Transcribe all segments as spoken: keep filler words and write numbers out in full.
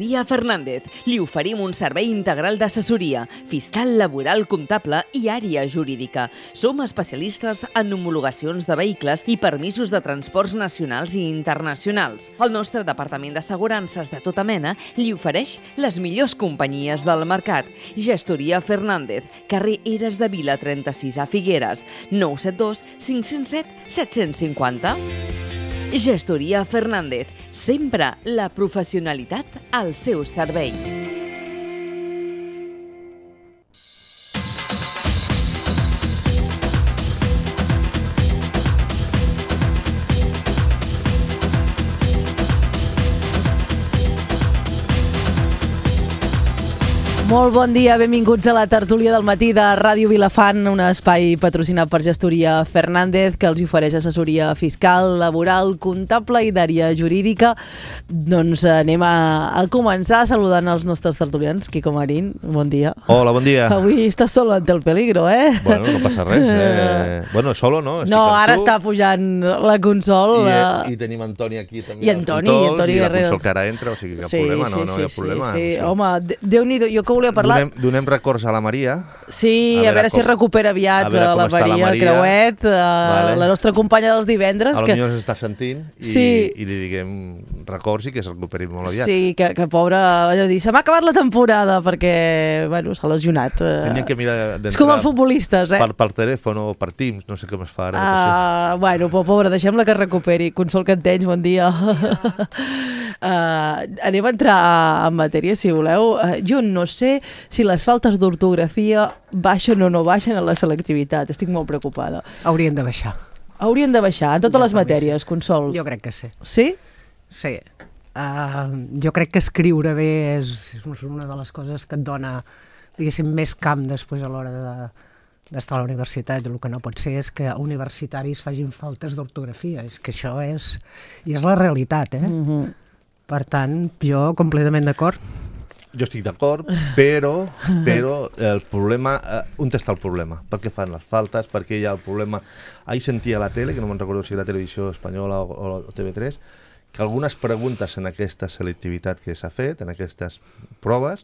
Dia Fernández. Li oferim un servei integral d'assessoria, fiscal, laboral, comptable i àrea jurídica. Som especialistes en homologacions de vehicles i permisos de transports nacionals i internacionals. El nostre departament d'assegurances de tota mena li ofereix les millors companyies del mercat. Gestoria Fernández, carrer Eres de Vila trenta-sis a Figueres, nou set dos cinc zero set set cinc zero. Gestoria Fernández, sempre la professionalitat al seu servei. Molt bon dia, benvinguts a la tertúlia del matí de Ràdio Vilafant, un espai patrocinat per Gestoria Fernández que els ofereix assessoria fiscal, laboral, comptable i d'àrea jurídica. Doncs anem a, a començar saludant els nostres tertulians. Quico Marín, bon dia. Hola, bon dia. Avui estàs solo ante el peligro, eh? Bueno, no passa res. Eh? Bueno, solo no. Estic no, ara tu. Està pujant la Consol. I, la... I tenim Antoni aquí també. I Antoni, i Antoni I la Guerrero. Consol que ara entra, o sigui, cap sí, problema, sí, no, no sí, hi ha problema. Sí, sí. Sí. Home, Déu-n'hi-do, jo que volia parlar... Donem, donem records a la Maria. Sí, a veure, a veure com, si recupera aviat a la Maria, la Maria Creuet, vale. La nostra companya dels divendres. A que... potser s'està sentint i, sí. i li diguem records i que es recuperi molt aviat. Sí, que, que pobra, allò dir, se m'ha acabat la temporada perquè, bueno, s'ha lesionat. Tenien que mirar d'entrar. És com els futbolistes, eh? Per, per telèfon o per Teams, no sé com es fa ara. Ah, bueno, però pobra, deixem-la que es recuperi. Consol Cantenys, bon dia. Uh, anem a entrar en matèria, si voleu. Uh, jo no sé si les faltes d'ortografia baixen o no baixen a la selectivitat. Estic molt preocupada. Haurien de baixar. Haurien de baixar en totes jo les matèries, Consol. Jo crec que sí. Sí? Sí. Uh, jo crec que escriure bé és, és una de les coses que et dona, diguéssim, més camp després a l'hora de, d'estar a la universitat. El que no pot ser és que universitaris facin faltes d'ortografia. És que això és... I és la realitat, eh? Mm-hmm. Per tant, jo completament d'acord. Jo estic d'acord, però, però el problema, eh, on està el problema? Per què fan les faltes? Per què hi ha el problema? Ahir sentia a la tele, que no me'n recordo si era Televisió Espanyola o, o T V tres, que algunes preguntes en aquesta selectivitat que s'ha fet, en aquestes proves,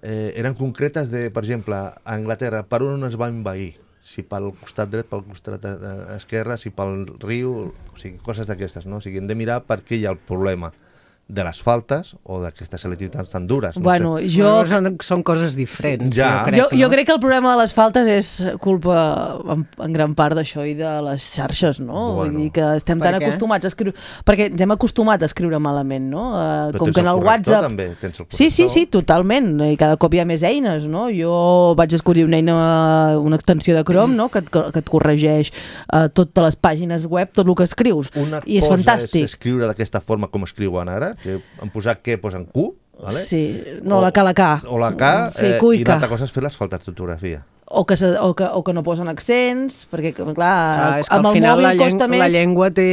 eh, eren concretes de, per exemple, a Anglaterra, per on es va envair? Si pel costat dret, pel costat esquerre, si pel riu, o sigui, coses d'aquestes, no? O sigui, hem de mirar per què hi ha el problema de les faltes o d'aquestes selectivitats tan dures. No bueno, sé. jo... Bueno, són, són coses diferents. Ja. Jo, crec, jo, no? jo crec que el problema de les faltes és culpa en, en gran part d'això i de les xarxes, no? Bueno. Vull dir que estem tan acostumats a escriure... Perquè ens hem acostumat a escriure malament, no? Uh, Però com que en el WhatsApp... també, tens el sí, sí, sí, totalment. I cada cop hi ha més eines, no? Jo vaig escollir una eina, una extensió de Chrome, no? Que, et, que et corregeix uh, totes les pàgines web, tot el que escrius. Una I és fantàstic. És escriure d'aquesta forma com escriuen ara, que han posat què posen Q, vale? Sí, no, o, la K, la K. O la K, sí, eh, i, i l'altra cosa és fer les faltes d'ortografia. O que, se, o, que, o que no posen accents, perquè, clar, clar és que amb al el final mòbil la, lleng costa més... la llengua té,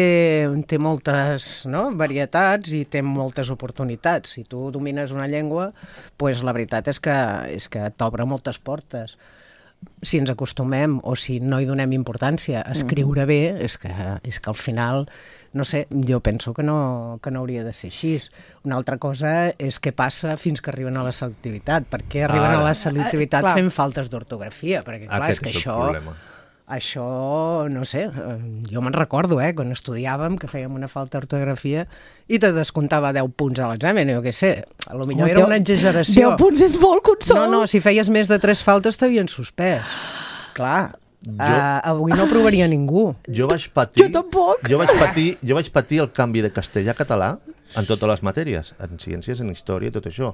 té moltes, no, varietats i té moltes oportunitats. Si tu domines una llengua, pues, la veritat és que, és que t'obre moltes portes. Si ens acostumem o si no hi donem importància a escriure bé, és que, és que al final, no sé, jo penso que no, que no hauria de ser així. Una altra cosa és què passa fins que arriben a la selectivitat. Per què arriben Ara. a la selectivitat Ah, fent faltes d'ortografia? Perquè clar, Aquest és que és el això... problema. Això, no sé, jo me'n recordo, eh, quan estudiàvem, que fèiem una falta d'ortografia i te descomptava deu punts a l'examen, jo què sé, a lo millor era una exageració. deu punts és molt, Consol! No, no, si feies més de tres faltes t'havien suspès. Clar, jo, uh, avui no provaria ningú. Jo vaig patir... Jo tampoc! Jo vaig patir, jo vaig patir el canvi de castellà a català en totes les matèries, en ciències, en història i tot això.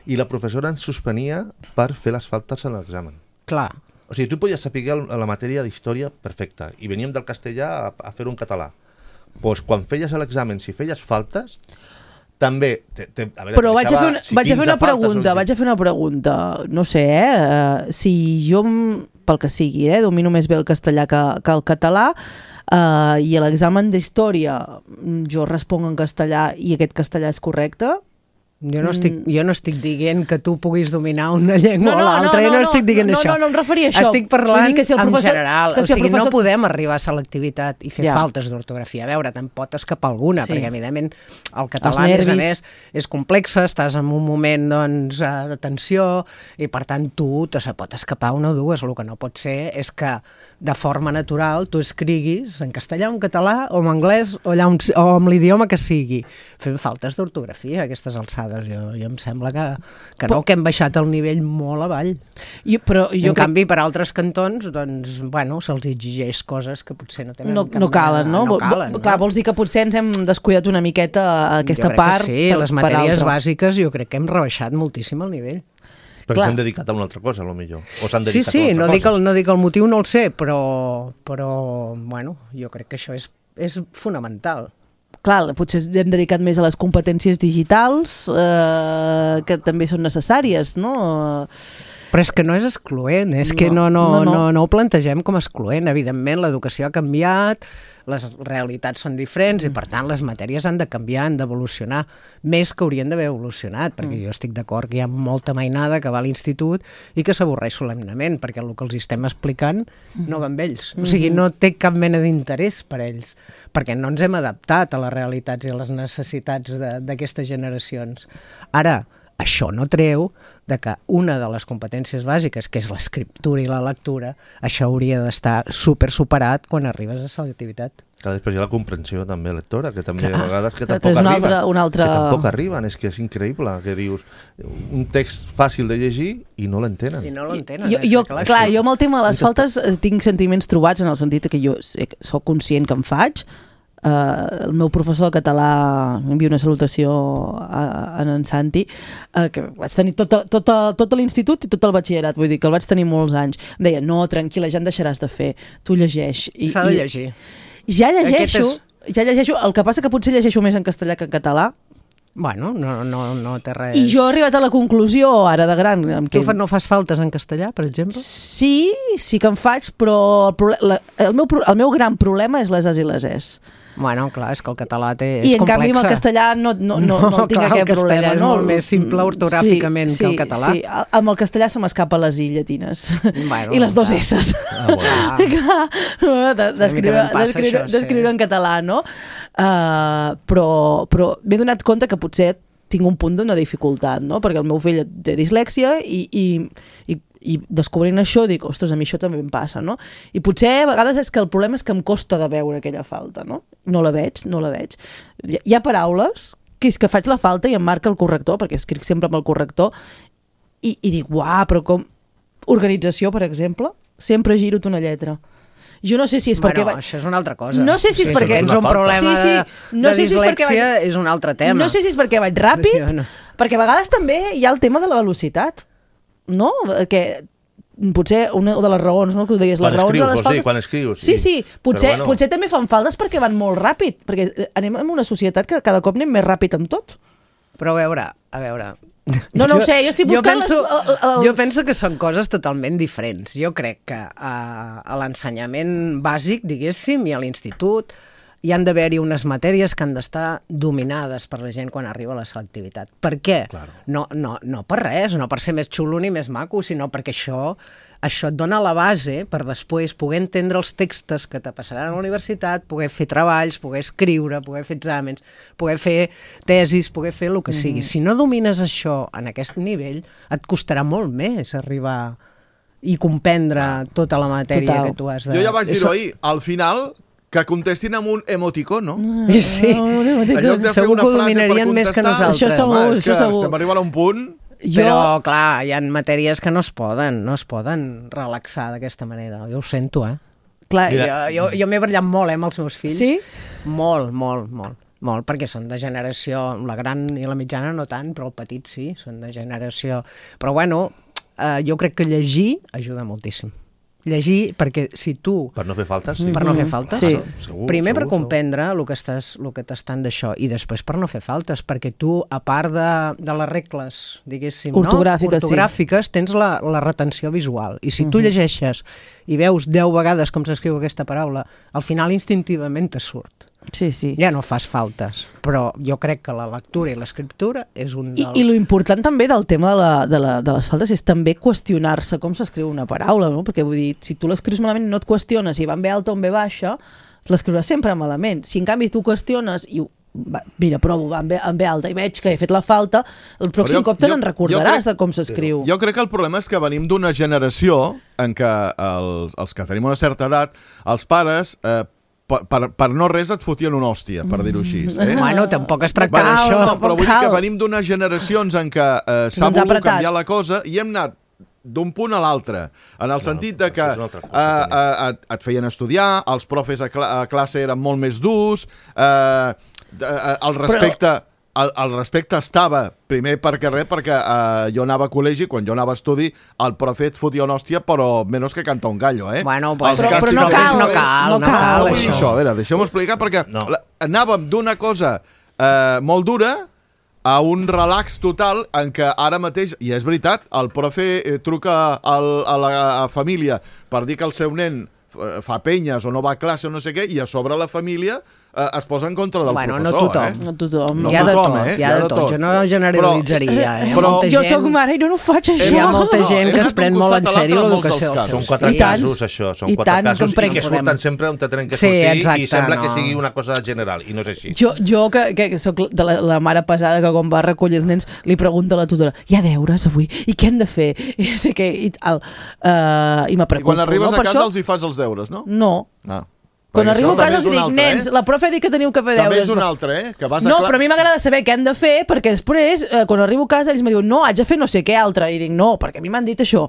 I la professora ens suspenia per fer les faltes en l'examen. Clar. O sigui, tu podies saber la matèria d'història perfecta i veníem del castellà a, a fer-ho en català. Doncs quan feies l'examen, si feies faltes, també... Te, te, a veure, Però vaig a fer una, si vaig a fer una pregunta, faltes, vaig a fer una pregunta. No sé, eh? Si jo, pel que sigui, eh, domino més bé el castellà que, que el català, eh, i a l'examen d'història jo responc en castellà i aquest castellà és correcte, Jo no, estic, jo no estic dient que tu puguis dominar una llengua No, no, o l'altra, no, no, no, no estic dient no, això. No, no, no em referia a això. Estic parlant Vull dir que si el professor- en general, que si o el sigui, professor- no podem arribar a selectivitat i fer Ja. faltes d'ortografia. A veure, te'n pot escapar alguna, Sí. perquè evidentment el Els català, a més a nervis. més, és complex, estàs en un moment doncs, eh, de tensió i per tant tu te se pot escapar una o dues. El que no pot ser és que de forma natural tu escriguis en castellà, en català o en anglès o, allà on, o amb l'idioma que sigui, fent faltes d'ortografia a aquestes alçades. Jo, jo em sembla que, que no, que hem baixat el nivell molt avall. Jo, però jo en crec... canvi, per altres cantons, doncs, bueno, se'ls exigeix coses que potser no tenen No, cap no calen, mena- no? no calen, Vol- Clar, vols dir que potser ens hem descuidat una miqueta aquesta jo crec part que sí, per, les per matèries altra. bàsiques jo crec que hem rebaixat moltíssim el nivell. Perquè Clar. s'han dedicat a una altra cosa, a lo millor. O s'han Sí, dedicat sí, a una no altra dic, cosa. el, no dic el motiu, no el sé, però, però bueno, jo crec que això és, és fonamental. Clar, potser ens hem dedicat més a les competències digitals, eh, que també són necessàries, no? Però és que no és excloent, és No, que no, no, no, no, no. no, no ho plantegem com a excloent. Evidentment, l'educació ha canviat, les realitats són diferents i, per tant, les matèries han de canviar, han d'evolucionar, més que haurien d'haver evolucionat, perquè jo estic d'acord que hi ha molta mainada que va a l'institut i que s'avorreix solemnament, perquè el que els estem explicant no va amb ells. O sigui, no té cap mena d'interès per ells, perquè no ens hem adaptat a les realitats i a les necessitats de- d'aquestes generacions. Ara, això no treu de que una de les competències bàsiques, que és l'escriptura i la lectura, això hauria d'estar super superat quan arribes a selectivitat. Clar, després hi ha la comprensió també lectora, que també Clar. a vegades que És tampoc un arriben. altre- un altre- Que tampoc arriben, és que és increïble, que dius un text fàcil de llegir i no l'entenen. I no l'entenen. Jo, eh? jo, Clar, clar, això- jo amb el tema de les On faltes eh, tinc sentiments trobats en el sentit que jo sé, soc conscient que em faig. Uh, el meu professor de català, envio una salutació a, a en Santi, uh, que vaig tenir tot, tot, tot l'institut i tot el batxillerat, vull dir que el vaig tenir molts anys. Em deia, no, tranquil·la, ja en deixaràs de fer, tu llegeix. I, S'ha de i- llegir. Ja llegeixo, Aquest ja llegeixo, el que passa que potser llegeixo més en castellà que en català, Bueno, no, no, no té res... i jo he arribat a la conclusió, ara de gran... amb Tu que- fa, no fas faltes en castellà, per exemple? Sí, sí que en faig, però el, proble- la, el, meu, pro- el meu gran problema és les as i les es. Bueno, clar, és que el català té, és I en complexa. canvi amb el castellà no, no, no, no, no tinc clar, aquest el castellà problema. és no? molt més simple ortogràficament sí, que el sí, català. Sí, a- amb el castellà se m'escapa les i llatines. Bueno, I les dos clar. esses. Ah, bueno. Clar, no, de- d'escriure també em passa d'escriure- això, sí. d'escriure en català, no? Uh, però però m'he donat compte que potser tinc un punt d'una dificultat, no? Perquè el meu fill té dislèxia i, i, i, i descobrint això dic, ostres, a mi això també em passa, no? I potser a vegades és que el problema és que em costa de veure aquella falta, no? No la veig, no la veig. Hi ha, hi ha paraules que és que faig la falta i em marca el corrector, perquè escric sempre amb el corrector, i, i dic, uah, però com... Organització, per exemple, sempre giro-te una lletra. Jo no sé si és Bueno, perquè... va- això és una altra cosa. No sé si és Sí, perquè... això és tens un una falta. problema Sí, sí, de, no de sé si és perquè dislèxia, vaig- és un altre tema. No sé si és perquè vaig ràpid, Sí, no. perquè a vegades també hi ha el tema de la velocitat, no? Que potser una de les raons, no? Que ho deies, Quan les raons escrius, de les vols dir, faltes... quan escrius, Sí, sí. sí, potser, Però bueno. potser també fan faltes perquè van molt ràpid, perquè anem en una societat que cada cop anem més ràpid amb tot. Però a veure, a veure... No, no ho sé, jo estic buscant penso, les- el- els- Jo penso que són coses totalment diferents. Jo crec que a, a l'ensenyament bàsic, diguéssim, i a l'institut, hi han d'haver-hi unes matèries que han d'estar dominades per la gent quan arriba a la selectivitat. Per què? Claro. No, no, no per res, no per ser més xulo ni més maco, sinó perquè això, això et dona la base per després poder entendre els textos que te passaran a la universitat, poder fer treballs, poder escriure, poder fer exàmens, poder fer tesis, poder fer el que sigui. Mm. Si no domines això en aquest nivell, et costarà molt més arribar i comprendre tota la matèria Total. que tu has de... Jo ja vaig dir-ho Eso- ahir, al final, que contestin amb un emoticon, no? Sí, En lloc de fer segur una que ho frase per dominarien més que contestar, nosaltres. Això segur, home, és això que segur. estem arribant a un punt... Jo... Però, clar, hi ha matèries que no es poden, no es poden relaxar d'aquesta manera. Jo ho sento, eh? Clar, Jo, jo, jo m'he barallat molt, eh, amb els meus fills. Sí? Molt, molt, molt. Molt, perquè són de generació, la gran i la mitjana no tant, però el petit sí, són de generació... Però bueno, eh, jo crec que llegir ajuda moltíssim. Llegir, perquè si tu... Per no fer faltes, sí. Per no fer faltes. Sí. Segur, Primer per segur, comprendre el que estàs, el que t'estan d'això, i després per no fer faltes, perquè tu, a part de, de les regles, diguéssim, Ortogràfiques, no? Ortogràfiques, sí. Tens la, la retenció visual. I si tu Mhm. llegeixes i veus deu vegades com s'escriu aquesta paraula, al final instintivament te surt. Sí, sí. ja no fas faltes. Però jo crec que la lectura i l'escriptura és un dels... I, I lo important també del tema de, la, de, la, de les faltes és també qüestionar-se com s'escriu una paraula, no? Perquè vull dir, si tu l'escrius malament no et qüestiones si va en ve alta o en ve baixa, l'escriuràs sempre malament. Si en canvi tu qüestiones i va, mira, provo, va en ve, en ve alta i veig que he fet la falta, el pròxim jo, cop te jo, n'en recordaràs crec, de com s'escriu. Jo crec que el problema és que venim d'una generació en què els, els que tenim una certa edat, els pares... Eh, Per, per, per no res et fotien una hòstia, per dir-ho així. Eh? Bueno, tampoc es tracta Bueno, d'això. no, però vull dir que venim d'unes generacions en què eh, s'ha Ens ha volgut apretat. canviar la cosa i hem anat d'un punt a l'altre, en el sentit de que això és una altra cosa, eh, eh, et, et feien estudiar, els profes a, cla a classe eren molt més durs, eh, eh, el respecte... Però... El, el respecte estava, primer perquè res, perquè eh, jo anava a col·legi, quan jo anava a estudi, el profe et fotia una hòstia, però menys que canta un gallo, eh? Bueno, pues, Els però, caps però no i cal, els no profes- cal, no no cal, cal, No vull dir això. això, a veure, deixeu-me explicar, perquè No. la, anàvem d'una cosa eh, molt dura a un relax total en què ara mateix, i és veritat, el profe eh, truca al, a la a família per dir que el seu nen eh, fa penyes o no va a classe o no sé què, i a sobre la família eh, es posa en contra del Bueno, no professor. tothom. Eh? No tothom. No hi ha de tothom, tot, eh? hi ha de tot. Jo no generalitzaria. Eh? Hi ha Però- molta Jo gent... sóc mare i no, no ho faig, això. Hi ha molta No, gent hem que es anat pren d'un molt en costat a sèrio l'altre en molts l'educació dels dels casos. Són seus quatre I tant. casos, això. Són I quatre tant, casos com prenc- i que surten podem- sempre on tenen que Sí, sortir exacte, i sembla no. que sigui una cosa general, i no és així. Jo, jo que, que soc de la, la mare pesada que quan va a recollir els nens li pregunta a la tutora, hi ha deures avui? I què hem de fer? I no sé què, i tal. Uh, I me I preocupo. quan arribes no? a Per casa això, els hi fas els deures, no? no. Ah. Quan Perquè arribo això a casa també els és un dic, altre, nens, eh? la profe ha dit que teniu que fer També deures. és un altre, eh? Que vas a No, cla- però a mi m'agrada saber què han de fer, perquè després, eh, quan arribo a casa, ells me diuen, no, haig de fer no sé què altre. I dic, no, perquè a mi m'han dit això.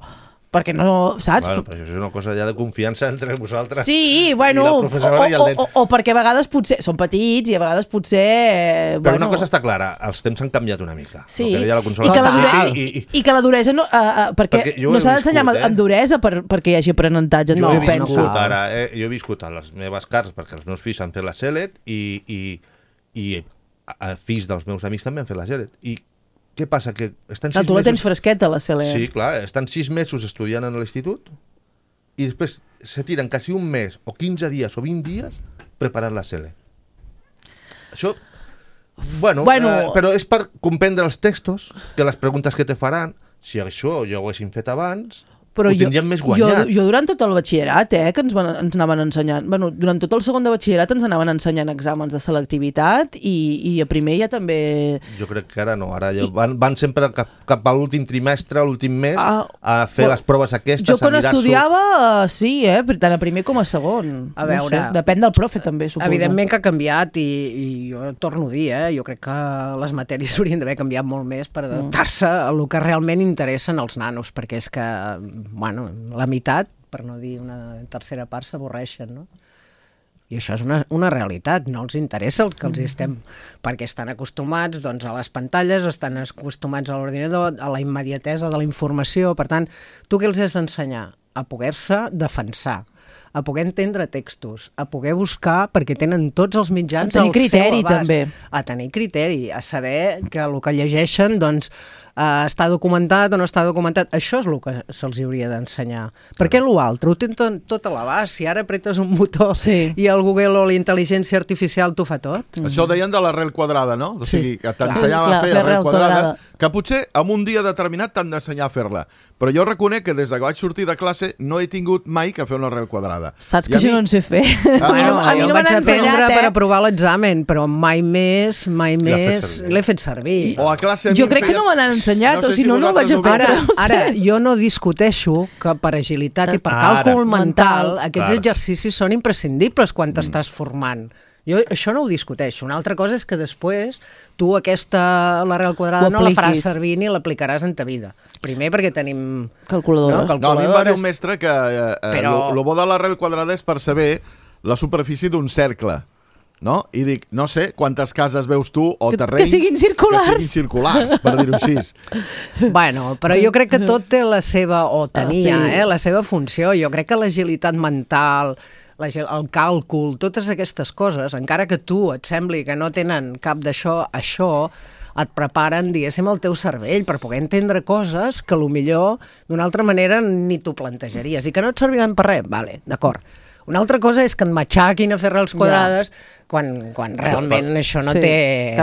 Perquè no, saps? Bueno, però això és una cosa ja de confiança entre vosaltres. Sí, bueno, I la o, professora i el o, nen. o, o perquè a vegades potser són petits i a vegades potser... Eh, Però bueno, una cosa està clara, els temps han canviat una mica. Sí, El que deia la i Consola que, la al dure... principi, I, i, i, i que la duresa no... Uh, uh, perquè, Perquè jo ho no he s'ha d'ensenyar viscut, amb, eh? amb duresa per, perquè hi hagi aprenentatge, jo no he ho penso. viscut ara, eh, jo he viscut a les meves cases, perquè els meus fills han fet la C E L E T i, i, i a, a fills dels meus amics també han fet la C E L E T. I què passa? Que estan Ah, sis tu la tens mesos... fresqueta, la C E L E. Sí, clar, estan sis mesos estudiant en l'institut i després se tiren quasi un mes o quinze dies o vint dies preparant la C E L E T. Això, bueno, Bueno. Eh, però és per comprendre els textos, que les preguntes que te faran, si això ja ho haguessin fet abans, Però ho jo, tindríem més jo, guanyat. jo durant tot el batxillerat, eh, que ens, van, ens anaven ensenyant, bueno, durant tot el segon de batxillerat ens anaven ensenyant exàmens de selectivitat i, i a primer ja també... Jo crec que ara no, ara ja van, van sempre cap, cap a l'últim trimestre, l'últim mes, Ah, a fer però les proves aquestes, Jo quan a mirar-s'ho. estudiava, eh, sí, eh, tant a primer com a segon. A veure, no sé, depèn del profe també, suposo. Evidentment que ha canviat i, i jo torno a dir, eh, jo crec que les matèries haurien d'haver canviat molt més per adaptar-se a el que realment interessen als nanos, perquè és que, bueno, la meitat, per no dir una tercera part, s'avorreixen, no? I això és una, una realitat, no els interessa el que els estem, perquè estan acostumats doncs, a les pantalles, estan acostumats a l'ordinador, a la immediatesa de la informació, per tant, tu què els has d'ensenyar? A poder-se defensar, a poder entendre textos, a poder buscar, perquè tenen tots els mitjans A tenir al seu criteri, abast. també. A tenir criteri, a saber que el que llegeixen doncs, eh, està documentat o no està documentat. Això és el que se'ls hauria d'ensenyar. Perquè l'altre ho tenen tot, tot a l'abast. Si ara apretes un botó Sí. i el Google o la intel·ligència artificial t'ho fa tot. Això ho deien de l'arrel quadrada, no? O sigui, que t'ensenyava Clar, a fer fer arrel arrel quadrada, quadrada. que potser en un dia determinat t'han d'ensenyar a fer-la. Però jo reconec que des que vaig sortir de classe no he tingut mai que fer una arrel quadrada. Saps I que a jo mi- no en sé fer. Ah, Bueno, a mi jo no vaig m'han aprendre ensenyat, per eh? aprovar l'examen, però mai més, mai L'ha fet més servir. l'he fet servir. O a classe a mi Jo em crec que feien- no me n'han ensenyat, sé o si no, no ho vaig vosaltres ho aprendre. veieu. Ara, No ara, sé. jo no discuteixo que per agilitat i per Ara. càlcul mental, Mental. aquests Clar. exercicis són imprescindibles quan t'estàs formant. Jo això no ho discuteixo. Una altra cosa és que després tu aquesta, l'arrel quadrada Ho no la faràs apliquis. servir ni l'aplicaràs en ta vida. Primer perquè tenim... Calculadores. No, No, a mi em va dir un calculadores. mestre que eh, Però- el bo de l'arrel quadrada és per saber la superfície d'un cercle. No? I dic, no sé quantes cases veus tu o Que- que terrenys siguin circulars. que siguin circulars, per dir-ho així. Bueno, però jo crec que tot té la seva, o tenia, Ah, sí. eh, la seva funció. Jo crec que l'agilitat mental, la, ge- el càlcul, totes aquestes coses, encara que tu et sembli que no tenen cap d'això, això et preparen, diguéssim, el teu cervell per poder entendre coses que millor d'una altra manera ni t'ho plantejaries i que no et serviran per res, vale, d'acord. Una altra cosa és que en matxaquin a fer arrels quadrades, quan, quan realment per... això no sí, té...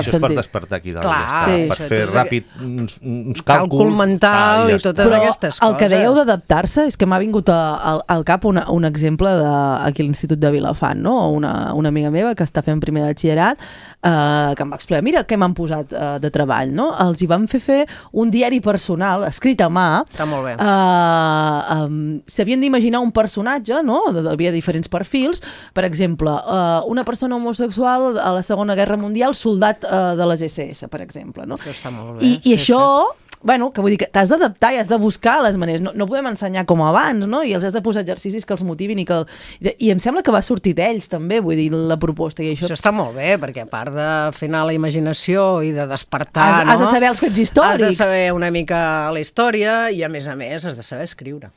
Això és per despertar aquí dalt, Clar, ja sí. està, per fer ràpid uns, uns càlculs. Càlcul mental ah, i ja totes Però aquestes coses. el que dèieu d'adaptar-se és que m'ha vingut a, a, al cap una, un exemple de, aquí a l'Institut de Vilafant, no? Una, una amiga meva que està fent primer de batxillerat, eh, que em va explicar, mira què m'han posat eh, de treball, no? Els hi van fer fer un diari personal, escrit a mà. Està molt bé. Eh, um, s'havien d'imaginar un personatge, no? Hi havia diferents perfils. Per exemple, eh, una persona homosexual a la Segona Guerra Mundial, soldat eh, de les esse esse, per exemple, no? Això està molt bé. I, i sí, això, sí. bueno, que vull dir que t'has d'adaptar i has de buscar les maneres. No, no podem ensenyar com abans, no? I els has de posar exercicis que els motivin i que... I, i em sembla que va sortir d'ells, també, vull dir, la proposta. I això... Això està molt bé, perquè a part de fer anar la imaginació i de despertar, Has, no? has de saber els fets històrics. Has de saber una mica la història i, a més a més, has de saber escriure.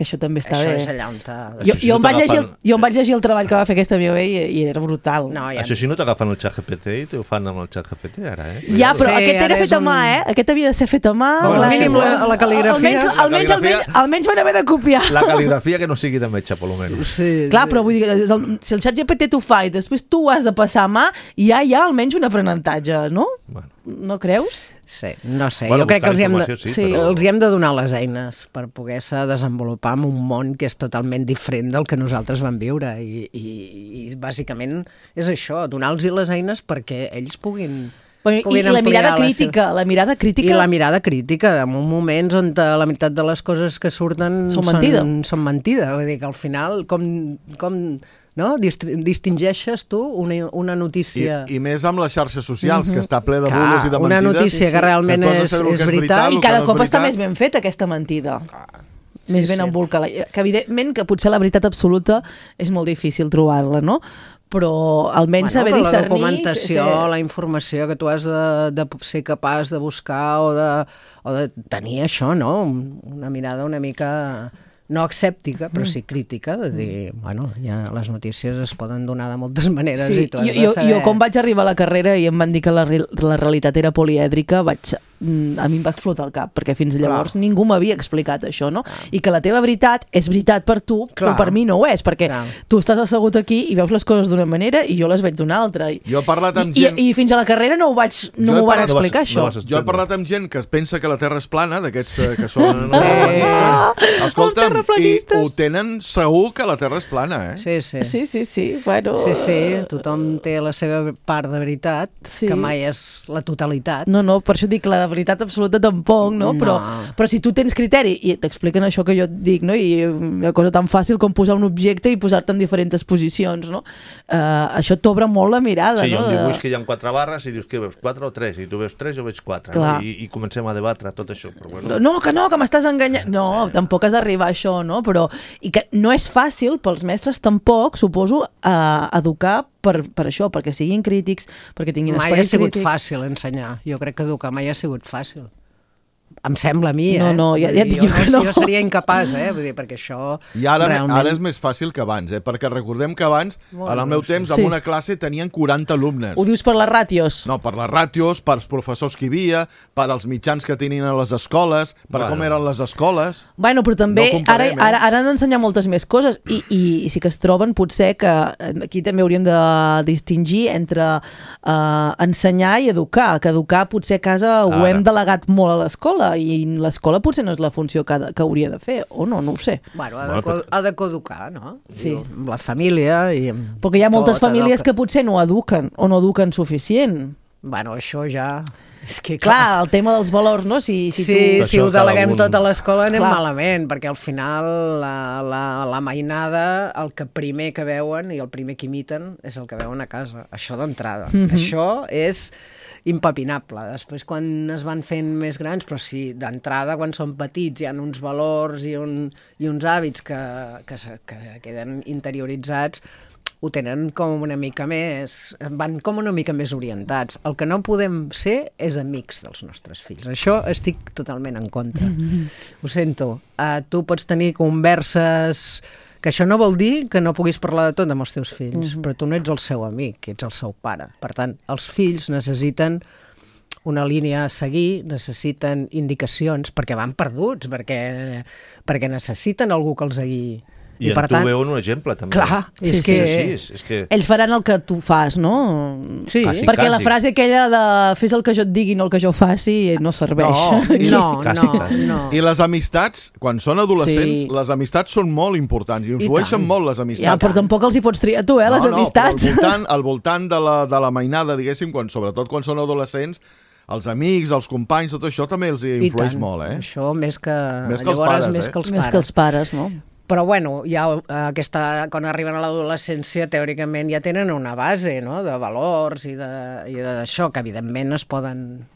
Que això també està Això bé. és allà on t'ha... Jo, jo, em vaig llegir, el- t'agafen- jo em vaig llegir el treball que va fer aquesta amiga i, i era brutal. No, ja... Això si no t'agafen el xat G P T i t'ho fan amb el xat G P T ara, eh? Ja, però Sí, aquest era ara és fet a mà, un- eh? Aquest havia de ser fet a mà. Com a clar. mínim la- la cal·ligrafia. Almenys, La almenys, cal·ligrafia- almenys, almenys van haver de copiar. La cal·ligrafia que no sigui de metge, per almenys. Sí, Clar, sí. però vull dir, que és el, si el xat G P T t'ho fa i després tu ho has de passar a mà, ja hi ha almenys un aprenentatge, no? Bueno. No creus? Sí, no sé, Bueno, jo crec que buscar els hi, hem de, informació sí, sí, però- els hi hem de donar les eines per poder-se desenvolupar en un món que és totalment diferent del que nosaltres vam viure i, i, i bàsicament és això, donar-los les eines perquè ells puguin... Bueno, I puguin la ampliar mirada la crítica, la mirada crítica... I la mirada crítica, en moments on la meitat de les coses que surten Són mentida. Són, són mentida. Vull dir que al final, com, com no? Dist distingeixes tu una, una I, notícia... I més amb les xarxes socials, que està ple de Clar, bulos i de una mentides. notícia que realment tu has de és- saber el és que veritat. el I que cada no és cop està veritat. més ben feta aquesta mentida. Més Sí, ben sí. embolcada. Que evidentment que potser la veritat absoluta és molt difícil trobar-la, no? Però almenys saber però la discernir... documentació, sí, la informació que tu has de, de ser capaç de buscar o de, o de tenir això, no? Una mirada una mica no escèptica, però sí crítica, de dir, bueno, ja les notícies es poden donar de moltes maneres Sí, i tu has jo, de jo, saber... jo quan vaig arribar a la carrera i em van dir que la, re- la realitat era polièdrica, vaig, mm, a mi em va explotar el cap, perquè fins llavors Clar. ningú m'havia explicat això, no? I que la teva veritat és veritat per tu, però Clar. per mi no ho és, perquè Clar. tu estàs assegut aquí i veus les coses d'una manera i jo les veig d'una altra. I, Jo he parlat amb i, gent- i, I fins a la carrera no ho vaig, no Jo he m'ho van parlat- explicar, no vas- això. no vas Jo he parlat amb gent que pensa que la Terra és plana, d'aquests eh, que són... No, Els Escolta'm, i terraplanistes. ho tenen segur que la Terra és plana, eh? Sí, sí. Sí, sí, sí, bueno... Sí, sí, tothom té la seva part de veritat, Sí. que mai és la totalitat. No, no, per això dic que la veritat absoluta tampoc, no? No. Però, però si tu tens criteri i t'expliquen això que jo et dic, no? I una cosa tan fàcil com posar un objecte i posar-te en diferents posicions, no? Uh, això t'obre molt la mirada, Sí, hi ha no? un dibuix que hi ha quatre barres i dius que veus quatre o tres, i tu veus tres, jo veig quatre, Clar. no? I, i comencem a debatre tot això. Però bueno, No, que no, que m'estàs enganyant. No, tampoc has d'arribar a això, no? Però, i que no és fàcil pels mestres tampoc, suposo, a educar per, per això, perquè siguin crítics, perquè tinguin Mai ha esperit sigut crític. fàcil ensenyar. Jo crec que educar mai ha sigut fàcil. Em sembla a mi, No, eh? no, ja- Vull ja et dir, dic jo, que no. jo seria incapaç, eh? Vull dir, perquè això I ara, realment... ara és més fàcil que abans, eh? Perquè recordem que abans, Molt en el meu bé, temps, sí. en una classe tenien quaranta alumnes. Ho dius per les ràtios? No, per les ràtios, pels professors que hi havia, per als mitjans que tenien a les escoles, per Bueno. com eren les escoles... Bueno, però també No ara, comparem, eh? ara, ara han d'ensenyar moltes més coses i, i, i sí que es troben potser que aquí també hauríem de distingir entre uh, ensenyar i educar, que educar potser a casa ho Ara. hem delegat molt a l'escola i l'escola potser no és la funció que, ha de- que hauria de fer, o no, no ho sé. Bueno, ha, Bueno, de, co però- ha de coeducar, no? Sí. Diu, amb la família i amb Perquè hi ha moltes tot allò famílies que potser no eduquen o no eduquen suficient. Bueno, això ja... És que, Clar, el tema dels valors, no? Si, si sí, tu... si Això ho cada deleguem un- tot a l'escola anem Clar. malament, perquè al final la, la, la mainada, el que primer que veuen i el primer que imiten és el que veuen a casa. Això d'entrada. Mhm. Això és impepinable. Després, quan es van fent més grans, però sí, d'entrada, quan són petits, hi ha uns valors i, un, i uns hàbits que, que, se- que queden interioritzats, ho tenen com una mica més... van com una mica més orientats. El que no podem ser és amics dels nostres fills. Això estic totalment en contra. Ho sento. Uh, tu pots tenir converses... Que això no vol dir que no puguis parlar de tot amb els teus fills, però tu no ets el seu amic, ets el seu pare. Per tant, els fills necessiten una línia a seguir, necessiten indicacions, perquè van perduts, perquè, perquè necessiten algú que els guiï. I, I en tu tant... veu un exemple, també. Clar, és sí, que... Sí, sí, és que... Ells faran el que tu fas, no? Sí. Quasi, Perquè quasi. la frase aquella de fes el que jo et digui, no el que jo faci, no serveix. No, Quasi, no, quasi. no. I les amistats, quan són adolescents, Sí. les amistats són molt importants i influeixen molt les amistats. Ja, però tampoc els hi pots triar tu, eh, les no, amistats. No, però al voltant, al voltant de, la, de la mainada, diguéssim, quan, sobretot quan són adolescents, els amics, els companys, tot això també els influeix molt, eh? Això més que... Més que els Llavors, pares, més eh? que els Més pares. que els pares, no? Però bueno, ja aquesta, quan arriben a l'adolescència, teòricament ja tenen una base, no?, de valors i de- i d'això, que evidentment es poden...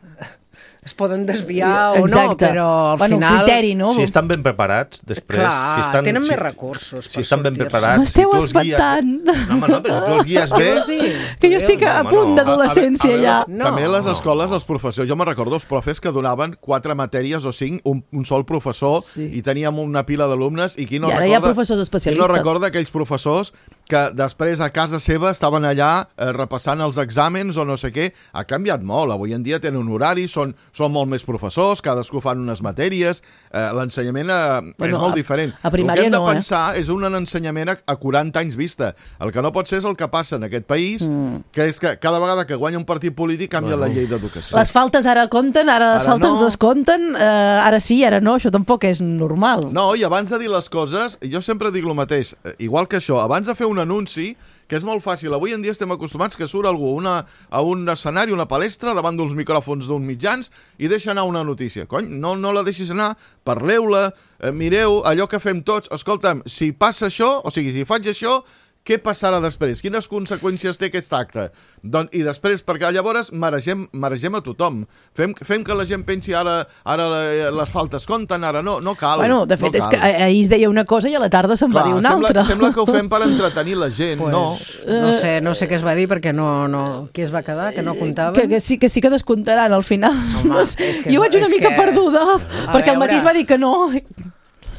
es poden desviar o no, Exacte. però al bueno, final... criteri, no? Si estan ben preparats, després... Clar, si estan, tenen si, més recursos Si per estan ben sortir-se. preparats... M'esteu si tu els guies- espantant. No, home, no, però si tu els guies bé... Vols dir? Que jo estic a home, punt no. d'adolescència A- a- a ja. veure, No. També les escoles, els professors, jo me recordo els profes que donaven quatre matèries o cinc, un, un sol professor, Sí. i teníem una pila d'alumnes, i qui no I ara recorda... hi ha professors especialistes. Qui no recorda aquells professors que després a casa seva estaven allà eh, repassant els exàmens o no sé què. Ha canviat molt, avui en dia tenen un horari, són, són molt més professors, cadascú fan unes matèries, eh, l'ensenyament eh, Bueno, és molt a- diferent. a primària el que hem de no, eh? pensar és un ensenyament a, a quaranta anys vista. El que no pot ser és el que passa en aquest país, mm. que és que cada vegada que guanya un partit polític canvia Bueno. la llei d'educació. Les faltes ara compten, ara les Ara faltes no. descompten, eh, ara sí, ara no, això tampoc és normal. No, i abans de dir les coses, jo sempre dic el mateix, eh, igual que això, abans de fer un anunci, que és molt fàcil, avui en dia estem acostumats que surt algú una, a un escenari, una palestra, davant d'uns micròfons d'uns mitjans i deixa anar una notícia. Cony, no, no la deixis anar, parleu-la, eh, mireu allò que fem tots. Escolta'm, si passa això, o sigui, si faig això, què passarà després? Quines conseqüències té aquest acte? Doncs, I després, perquè llavors maregem, maregem a tothom. Fem, fem que la gent pensi ara, ara les faltes compten, ara no, no cal. Bueno, de fet, no és cal. que ahir es deia una cosa i a la tarda se'n va Clar, dir una sembla, altra. sembla que ho fem per entretenir la gent, Pues, no. no, sé, no sé què es va dir perquè no, no... Qui es va quedar? Que no comptaven? Que, que, sí, que sí que descomptaran al final. Home, No sé, és que jo és- vaig una és mica que- perduda, perquè al matí veure. es va dir que no.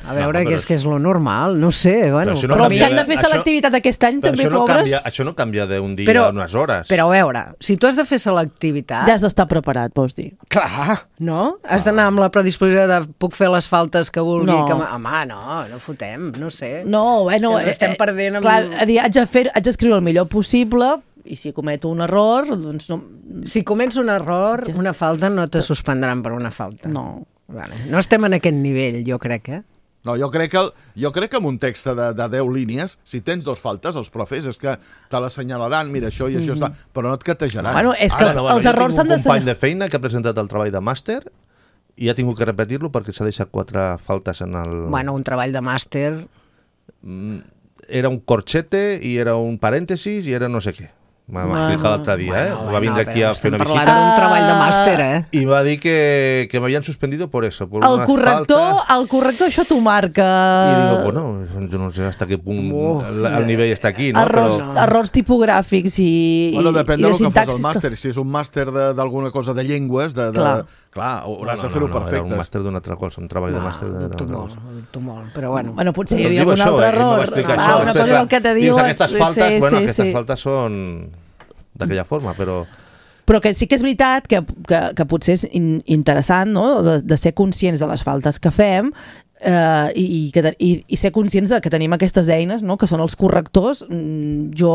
A veure, No, que però és que és lo normal, no sé, bueno. Però això no Però els que canvia, han de fer això- selectivitat aquest any Però també, això no, pobres, canvia, això no canvia d'un dia Però- a unes hores. Però a veure, si tu has de fer selectivitat... ja has d'estar preparat, vols dir. Clar, no? Has d'anar amb la predisposició de puc fer les faltes que vulgui. No. Que... m- Home, no, no fotem, no sé. No, bueno... Que ens estem perdent amb- Clar, a dir, haig de fer, haig d'escriure el millor possible i si cometo un error, doncs no... Si comets un error, Ja. una falta, no te suspendran per una falta. No. Vale. No estem en aquest nivell, jo crec, eh? No, jo crec que, el, jo crec que amb un text de, de deu línies, si tens dos faltes, els profes, és que te l'assenyalaran, mira, això i això està... Però no et catejaran. Bueno, és que Ara, els, no, bueno, els jo errors tinc s'han un de... company de feina que ha presentat el treball de màster i ha tingut que repetir-lo perquè s'ha deixat quatre faltes en el... Bueno, un treball de màster... Era un corchete i era un parèntesis i era no sé què. M'ha Bueno, explicat l'altre dia, eh? Va vindre aquí a fer una Estem visita parlant d'un Ah. treball de màster, eh? i va dir que, que m'havien suspendido por eso, por El unas corrector, faltas. el corrector això t'ho marca. I digo, bueno, jo no sé hasta qué punt Oh, el, el nivell està aquí, no? errors, Però... errors tipogràfics i, Bueno, depèn i del de que fos sintaxis. el màster. Si és un màster de- d'alguna cosa de llengües, de, de, Clar. clar, hauràs no, de fer-ho no, no, perfecte. Era un màster d'una altra cosa, un treball de màster No, d'una dubto altra molt, cosa. dubto molt, però bueno. Bueno, potser hi Doncs havia diu algun això, altre eh? Ell m'ho va error. explicar Ah, això. una Després, cosa és el que te dius, diuen. aquestes faltes, sí, bueno, sí, aquestes sí. faltes són d'aquella forma, però... Però que sí que és veritat que, que, que potser és in, interessant, no?, de, de ser conscients de les faltes que fem eh, i, i, que, i, i ser conscients de que tenim aquestes eines, no?, que són els correctors. Mm, Jo,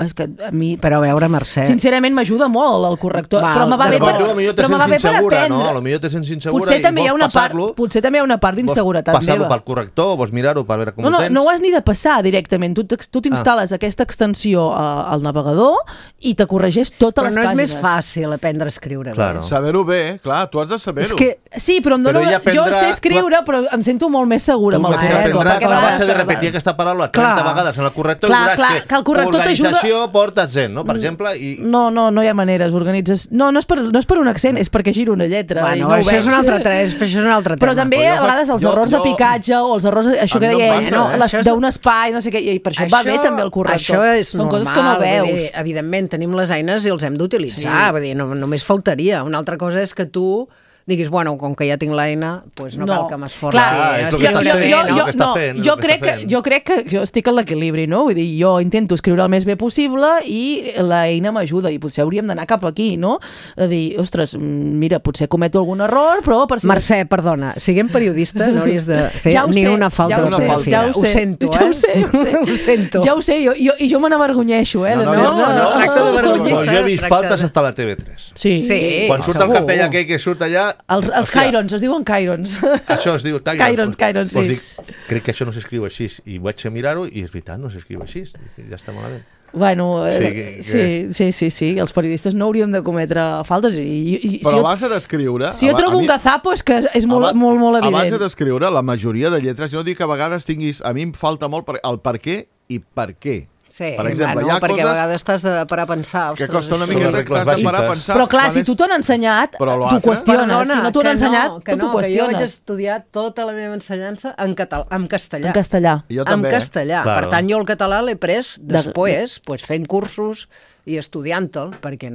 és que a mi... Però a veure, Mercè... Sincerament m'ajuda molt el corrector, Val, però me va bé però per, tu potser te però me va sents bé per insegura, no? aprendre. Potser te sents insegura Potser i també hi ha vols una part, passar-lo, potser també hi ha una part d'inseguretat vols passar-lo meva. pel corrector, vols mirar-ho per veure com No, no, ho tens. no ho has ni de passar directament. Tu t'ex- tu t'instal·les ah. aquesta extensió a, al navegador i te corregeix totes Però les no és pàgines. més fàcil aprendre a escriure. Claro. bé. Saber-ho bé, clar, tu has de És saber-ho. que Sí, però em Però dono... ella jo aprendrà- sé escriure, però em sento molt més segura Tu amb el vas corrector. aprendràs perquè a va- base de repetir aquesta paraula trenta Clar. vegades en el corrector Clar, i veuràs clar, que, que el corrector t'ajuda- organització porta accent, no? Per exemple, i... No, no, no hi ha maneres, organitzes... No, no és per, no és per un accent, és perquè giro una lletra. i Bueno, no ho això veig. és un altre, tre- això és un altre tema. Però també Però jo a faig- vegades els jo- errors de jo- picatge o els errors, això A que mi no em deia passa, ell, no, eh? les, Això és- d'un espai, no sé què, i per això, va bé també el corrector. Això és Són normal, coses que no vull veus. dir, evidentment, tenim les eines i els hem d'utilitzar. Sí. Vull dir, no, només faltaria. Una altra cosa és que tu diguis, bueno, com que ja tinc l'eina, doncs no, no cal que m'esforci. Clar, Ah, és jo, el que està jo, fent, jo, és el jo, que està no, fent, és jo, el que crec està que, fent. jo crec que jo estic en l'equilibri, no? Vull dir, jo intento escriure el més bé possible i l'eina m'ajuda i potser hauríem d'anar cap aquí, no? De dir, ostres, mira, potser cometo algun error, però per si... Mercè, perdona, siguem periodista no hauries de fer Ja ho ni sé, una falta ja ho de sé, ortografia. ja ho sé, ho sento, ja eh? ho sé, ho sé. ho sento. Ja ho sé, jo, jo, i jo me n'avergonyeixo, eh? No, no, de- no, no es tracta de vergonyir. Bueno, jo he es vist tracta faltes de- hasta la T V tres. Sí. Sí. Quan surt el segur. cartell aquell que surt allà... Els, els hòstia, Cairons, es diuen Cairons. Això es diu Cairons. Cairons, Cairons, Pues sí. dic, crec que això no s'escriu així. I vaig a mirar-ho i és veritat, no s'escriu així. Dic, ja està malament. Bueno, eh, Sí, que- que- sí, sí, sí, sí, els periodistes no hauríem de cometre faltes i, i, i Però si, a jo, base d'escriure... si jo a ba- trobo a un mi- gazapo és que és molt, a ba- molt, molt A base evident. d'escriure, la majoria de lletres, jo no dic que a vegades tinguis... A mi em falta molt per, el per què i per què. Sí, per exemple, bueno, hi ha perquè coses a vegades t'has de parar a pensar. que Ostres, costa una això- miqueta miqueta regles que t'has de parar a bàsiques. pensar. Però clar, quan si és- tu t'ho han ensenyat, Però tu l'altre- qüestiones. Perdona, si no t'ho han que ensenyat, no, que tu t'ho no, que jo vaig qüestiones. estudiar tota la meva ensenyança en, català, en castellà. En castellà. Jo en també, eh? castellà. Claro. Per tant, jo el català l'he pres De- després, pues, fent cursos i estudiant-te'l, perquè,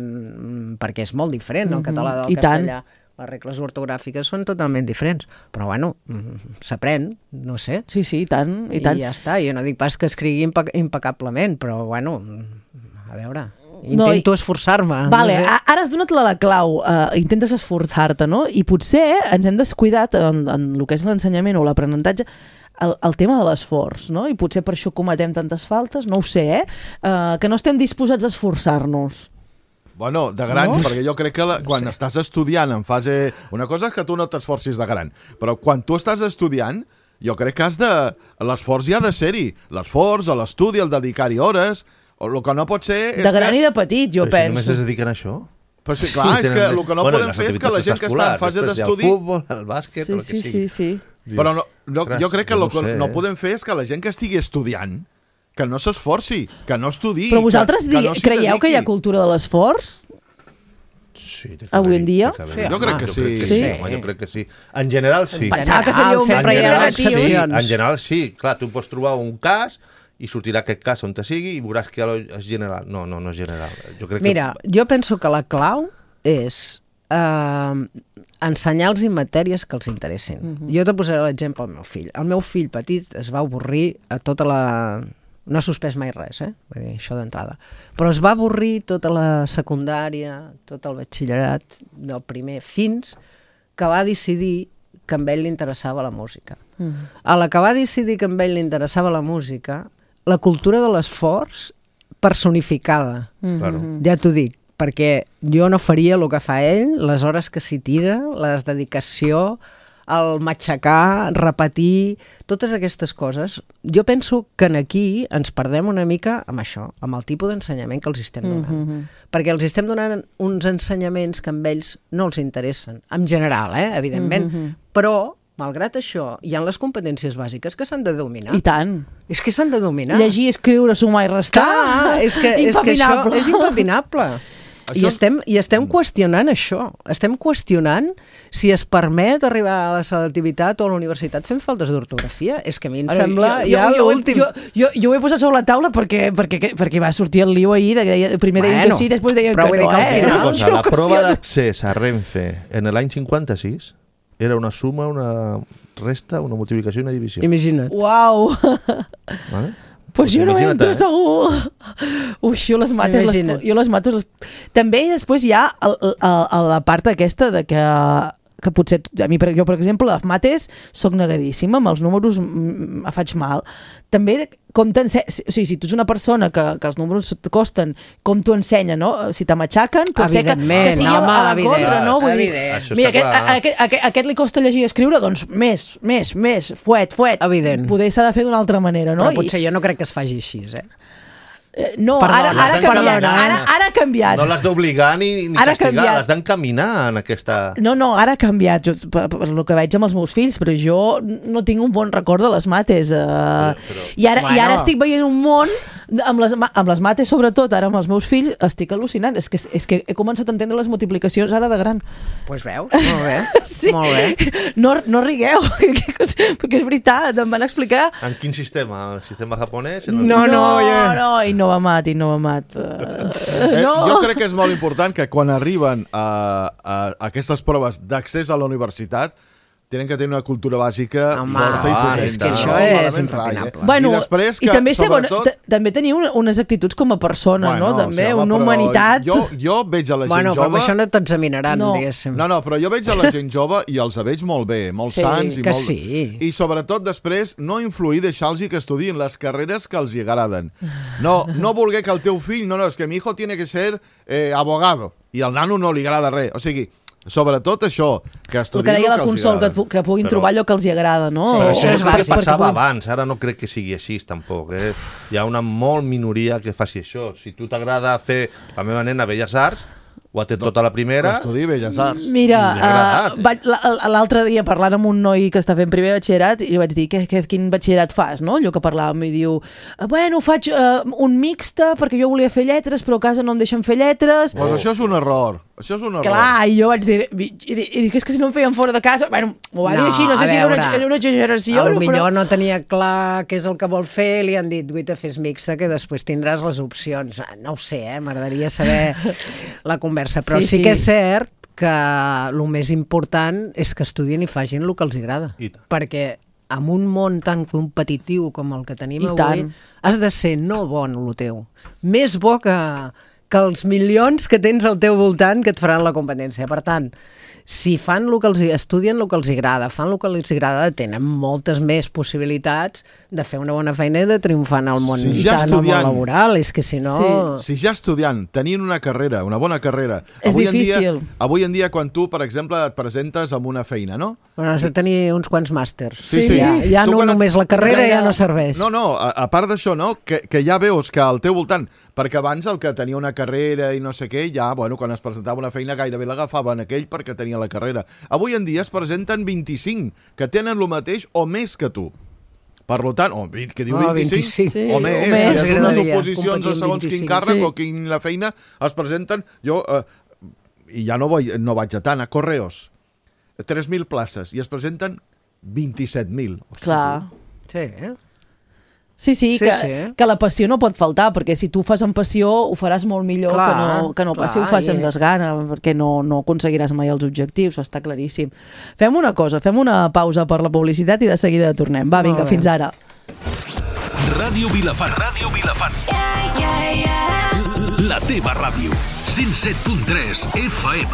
perquè és molt diferent el català del I tant. castellà. Les regles ortogràfiques són totalment diferents. Però, bueno, mm, s'aprèn, no sé. Sí, sí, i tant, i tant. I ja està. Jo no dic pas que escrigui impe impecablement, però, bueno, a veure... No, Intento i- esforçar-me. Vale, no sé. a- ara has donat la, la clau, uh, intentes esforçar-te, no? I potser ens hem descuidat en, en el que és l'ensenyament o l'aprenentatge el, el tema de l'esforç, no? I potser per això cometem tantes faltes, no ho sé, eh? Uh, que no estem disposats a esforçar-nos. Bueno, de grans, No? no? perquè jo crec que la, quan sí. estàs estudiant en fase... Una cosa és que tu no t'esforcis de gran, però quan tu estàs estudiant, jo crec que has de... L'esforç ja ha de ser-hi. L'esforç, l'estudi, el dedicar-hi hores... O el que no pot ser... És De gran que... i de petit, jo Però si només es penso. dediquen a això. Però sí, clar, és que el que no Bueno, podem les fer és que la gent que està en fase després hi ha d'estudi... El futbol, el bàsquet, Sí, el que sí, sigui. sí, sí. Però no, no, Ostres, jo crec que jo el no que sé, no eh? podem fer és que la gent que estigui estudiant que no s'esforci, que no estudiï... Però vosaltres que, que di- no s'hi creieu que hi ha dediqui. cultura de l'esforç? Sí, té que Avui haver-hi, en dia? té que Sí, haver-hi. jo crec que Jo sí. crec que Sí? sí, home, jo crec que sí. En general, sí. Pensava que seria un sempre hi ha general, excepcions. Sí, en general, sí. Clar, tu pots trobar un cas i sortirà aquest cas on te sigui i veuràs que és general. No, no, no és general. Jo crec Mira, que... jo penso que la clau és eh, ensenyar-los matèries que els interessin. Uh -huh. Jo te posaré l'exemple al meu fill. El meu fill petit es va avorrir a tota la... No ha suspès mai res, eh? Vull dir, això d'entrada. Però es va avorrir tota la secundària, tot el batxillerat, del primer, fins que va decidir que a ell li interessava la música. Uh -huh. A la que va decidir que a ell li interessava la música, la cultura de l'esforç personificada. Claro. Ja t'ho dic, perquè jo no faria el que fa ell, les hores que s'hi tira, la dedicació, el matxacar, repetir, totes aquestes coses. Jo penso que en aquí ens perdem una mica amb això, amb el tipus d'ensenyament que els estem donant. Mm -hmm. Perquè els estem donant uns ensenyaments que amb ells no els interessen, en general, eh, evidentment, mm -hmm. però malgrat això, hi ha les competències bàsiques que s'han de dominar. I tant. És que s'han de dominar. Llegir, escriure, sumar i restar. Clar, és que, és que això Impepinable. és impepinable. I Això- estem, I estem qüestionant això. Estem qüestionant si es permet arribar a la selectivitat o a la universitat fent faltes d'ortografia. És que a mi em Ara, sembla jo, ja jo, jo, l'últim. jo, jo, jo ho he posat sobre la taula perquè, perquè, perquè va sortir el lío ahir, de que deia, primer deien Bueno, que sí, després deien però que vull dir no, que al eh? final- Una cosa, Jo no la prova qüestiono. d'accés a Renfe en l'any cinquanta-sis era una suma, una resta, una multiplicació i una divisió. Imagina't. Uau! Vale? Pues jo no Imagina't, entro eh? segur. Ui, jo les mates, les, Imagina't. jo les mato. Les... També després hi ha el, el, el, la part aquesta de que que potser, a mi, per- jo per exemple, les mates soc negadíssima, amb els números mm, me faig mal. També com t'ensenya, o sigui, si tu ets una persona que, que els números et costen, com t'ho ensenya, no? Si te matxaquen, pot ser que, Evidentment, que sigui home, a la evident, contra, no? Vull dir, evident. Això mira, està aquest, clar. a, aquest, aquest, aquest li costa llegir i escriure, doncs més, més, més, fuet, fuet. Evident. Poder s'ha de fer d'una altra manera, no? Però potser jo no crec que es faci així, eh? Eh, no, Perdona, ara, ara, ha l'has canviat, d'encaminar. ara, ara ha canviat. No l'has d'obligar ni, ni Ara ha castigar, canviat. l'has d'encaminar en aquesta... No, no, ara ha canviat, jo, per, per el que veig amb els meus fills, però jo no tinc un bon record de les mates. Eh, però- I, ara, I ara Bueno. estic veient un món Amb les, amb les mates, sobretot, ara amb els meus fills, estic al·lucinant. És que, és que he començat a entendre les multiplicacions ara de gran. Doncs pues veus, molt bé. Sí. Molt bé. No, no rigueu, perquè és veritat, em van explicar... En quin sistema? El sistema japonès? No, No, no, no, ja. no, Innovamat, Innovamat. Uh, Eh, no. Jo crec que és molt important que quan arriben a, a, a aquestes proves d'accés a la universitat tenen que tenir una cultura bàsica Home, forta i ah, potent. és que No això són és elements impepinable. rai, eh? Bueno, I després que, i també, segon, sobretot... t- també teniu una, unes actituds com a persona, Bueno, no? També, sí, home, una però humanitat... Jo, jo veig a la gent Bueno, però amb jove... això no t'examinaran, No. diguéssim. No, no, però jo veig a la gent jove i els veig molt bé, molt Sí, sants. I que molt... sí. I sobretot després no influir, deixar-los que estudien les carreres que els hi agraden. No, no voler que el teu fill... No, no, és que mi hijo tiene que ser eh, abogado i al nano no li agrada res. O sigui, sobretot això, que El estudien que deia la els hi Consol, que, agrada. que puguin Però- trobar allò que els hi agrada, no? Però O- això és per- el que perquè passava puguin- abans, ara no crec que sigui així tampoc. Eh? Hi ha una molt minoria que faci això. Si tu t'agrada fer la meva nena Belles Arts, ho ha té tota la primera... Que estudi Belles Arts. Mira, Li ha agradat, uh, vaig, la- l'altre dia parlant amb un noi que està fent primer batxillerat i li vaig dir, que, que, quin batxillerat fas, no? Allò que parlàvem, i diu, bueno, faig uh, un mixte perquè jo volia fer lletres, però a casa no em deixen fer lletres. Pues això és un error. Això és un error. Clar, i jo vaig dir, i, i, i dic, és que si no em feien fora de casa, bueno, ho va dir així, no sé a si era una, veure, era una exageració. A lo però- millor no tenia clar què és el que vol fer, li han dit, guaita, fes mixa, que després tindràs les opcions. Ah, no ho sé, eh? M'agradaria saber la conversa, però Sí, sí, sí sí. que és cert que el més important és que estudien i facin el que els agrada. I tant. Perquè en un món tan competitiu com el que tenim I avui, tant. has de ser no bo en el teu, més bo que, que els milions que tens al teu voltant que et faran la competència. Per tant, si fan el que els, estudien el que els agrada, fan el que els agrada, tenen moltes més possibilitats de fer una bona feina i de triomfar en el món, Si ja tant al món estudiant- laboral. És que si no... Si ja estudiant, tenint una carrera, una bona carrera... És avui En difícil. dia, avui en dia, quan tu, per exemple, et presentes amb una feina, no? Bueno, has de tenir uns quants màsters. Sí, sí. Ja, ja Tu no quan et- només la carrera Carrera- ja no serveix. No, no, a, a part d'això, no? Que, que ja veus que al teu voltant, perquè abans el que tenia una carrera i no sé què, ja, bueno, quan es presentava una feina gairebé l'agafaven aquell perquè tenia la carrera. Avui en dia es presenten vint-i-cinc que tenen el mateix o més que tu. Per tant, o vint, que diu Oh, vint-i-cinc, vint-i-cinc. Sí, o més, o o més. més. unes M'agradaria oposicions competir a amb segons quin vint-i-cinc, càrrec sí. o quina feina es presenten. Jo, eh, i ja no, vull, no vaig a tant, a Correos, tres mil places, i es presenten vint-i-set mil. Clar. Sí, eh? Sí, sí, Sí, que, sí. que la passió no pot faltar, perquè si tu ho fas amb passió ho faràs molt millor Clar, que no, que no clar, pas si ho fas amb i- desgana, perquè no, no aconseguiràs mai els objectius, està claríssim. Fem una cosa, fem una pausa per la publicitat i de seguida tornem. Va, vinga, Molt bé. fins ara. Ràdio Vilafant. Ràdio Vilafant. Yeah, yeah, yeah. La teva ràdio. cent set punt tres F M.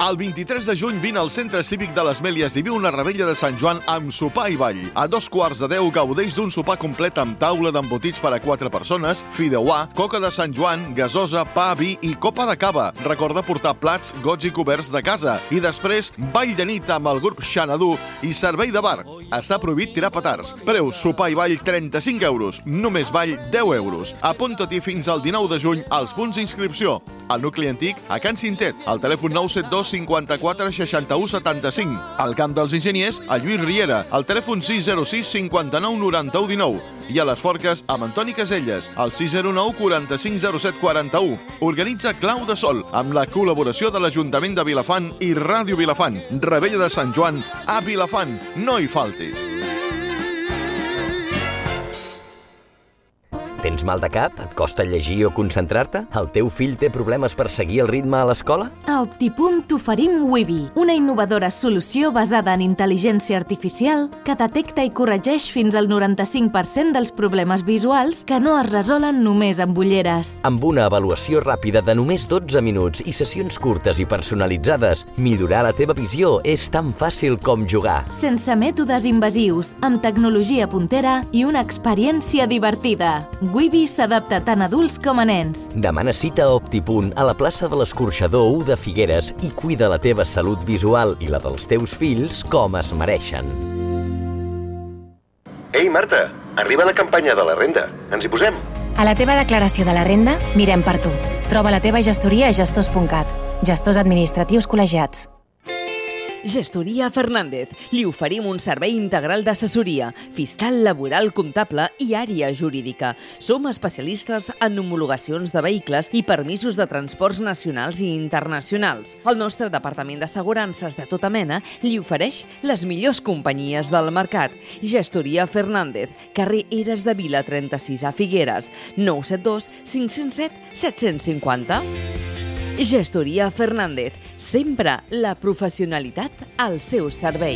El vint-i-tres de juny vine al Centre Cívic de les Mèlies i viu una rebella de Sant Joan amb sopar i ball. A dos quarts de deu gaudeix d'un sopar complet amb taula d'embotits per a quatre persones, fideuà, coca de Sant Joan, gasosa, pa, vi i copa de cava. Recorda portar plats, gots i coberts de casa. I després, ball de nit amb el grup Xanadu i servei de bar. Està prohibit tirar petards. Preu sopar i ball trenta-cinc euros. Només ball deu euros. Apunta-t'hi fins al dinou de juny als punts d'inscripció. Al nucli antic, a Can Cintet, al telèfon nou set dos cinquanta-quatre seixanta-u setanta-cinc. Al Camp dels Enginyers, a Lluís Riera, al telèfon sis zero sis cinquanta-nou noranta-u dinou. I a les Forques, amb Antoni Caselles, al sis zero nou quaranta-cinc zero set quaranta-u. Organitza Clau de Sol, amb la col·laboració de l'Ajuntament de Vilafant i Ràdio Vilafant. Rebella de Sant Joan a Vilafant. No hi faltis. Tens mal de cap? Et costa llegir o concentrar-te? El teu fill té problemes per seguir el ritme a l'escola? A Optipunt t'oferim Wibi, una innovadora solució basada en intel·ligència artificial que detecta i corregeix fins al noranta-cinc per cent dels problemes visuals que no es resolen només amb ulleres. Amb una avaluació ràpida de només dotze minuts i sessions curtes i personalitzades, millorar la teva visió és tan fàcil com jugar. Sense mètodes invasius, amb tecnologia puntera i una experiència divertida. Wibi s'adapta tant a adults com a nens. Demana cita a Optipunt a la plaça de l'Escorxador u de Figueres i cuida la teva salut visual i la dels teus fills com es mereixen. Ei, Marta, arriba la campanya de la renda. Ens hi posem? A la teva declaració de la renda, mirem per tu. Troba la teva gestoria a gestors punt cat. Gestors administratius col·legiats. Gestoria Fernández. Li oferim un servei integral d'assessoria, fiscal, laboral, comptable i àrea jurídica. Som especialistes en homologacions de vehicles i permisos de transports nacionals i internacionals. El nostre departament d'assegurances de tota mena li ofereix les millors companyies del mercat. Gestoria Fernández, carrer Eres de Vila trenta-sis a Figueres, nou set dos cinc zero set set cinc zero. Gestoria Fernández, sempre la professionalitat al seu servei.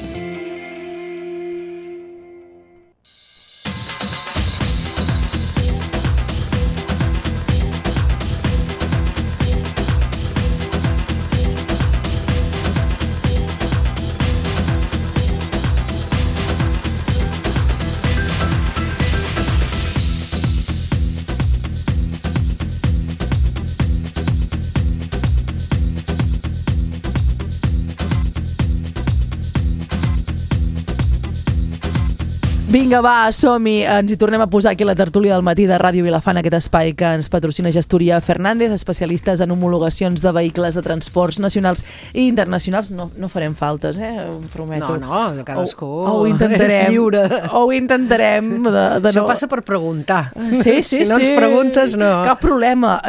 Vinga, va, som-hi. Ens hi tornem a posar aquí a la tertúlia del matí de Ràdio Vilafant, aquest espai que ens patrocina Gestoria Fernández, especialistes en homologacions de vehicles de transports nacionals i internacionals. No, no farem faltes, eh? Ho prometo. No, no, cadascú o, o ho intentarem, és lliure. O ho intentarem. De, de Això no... passa per preguntar. Sí, sí, si no sí. ens preguntes, no. Cap problema.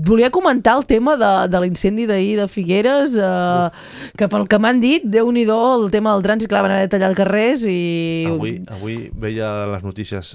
Volia comentar el tema de, de l'incendi d'ahir de Figueres, eh, que pel que m'han dit, Déu-n'hi-do, el tema del trànsit, clar, van haver de tallar carrers i... Avui, avui veia les notícies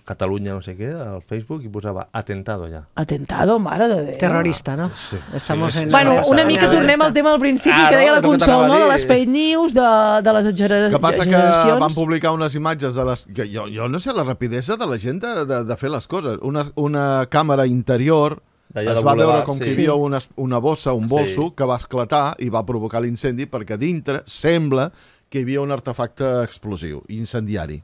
Catalunya no sé què al Facebook i posava atentado ja. Atentado, mare de Déu. Terrorista, no? Sí. Estamos sí, sí, en... Bueno, sí, una sí, mica sí. tornem al tema del principi Ah, que deia no, la no, que Consol, no? t'anava a De dir. les fake news, de, de les exageracions. El que passa que van publicar unes imatges de les... Que jo, jo no sé la rapidesa de la gent de, de, de fer les coses. Una, una càmera interior D'allà es de va Boulevard, veure com sí. que hi havia una, una bossa, un bolso, Sí. que va esclatar i va provocar l'incendi perquè dintre sembla que hi havia un artefacte explosiu, incendiari.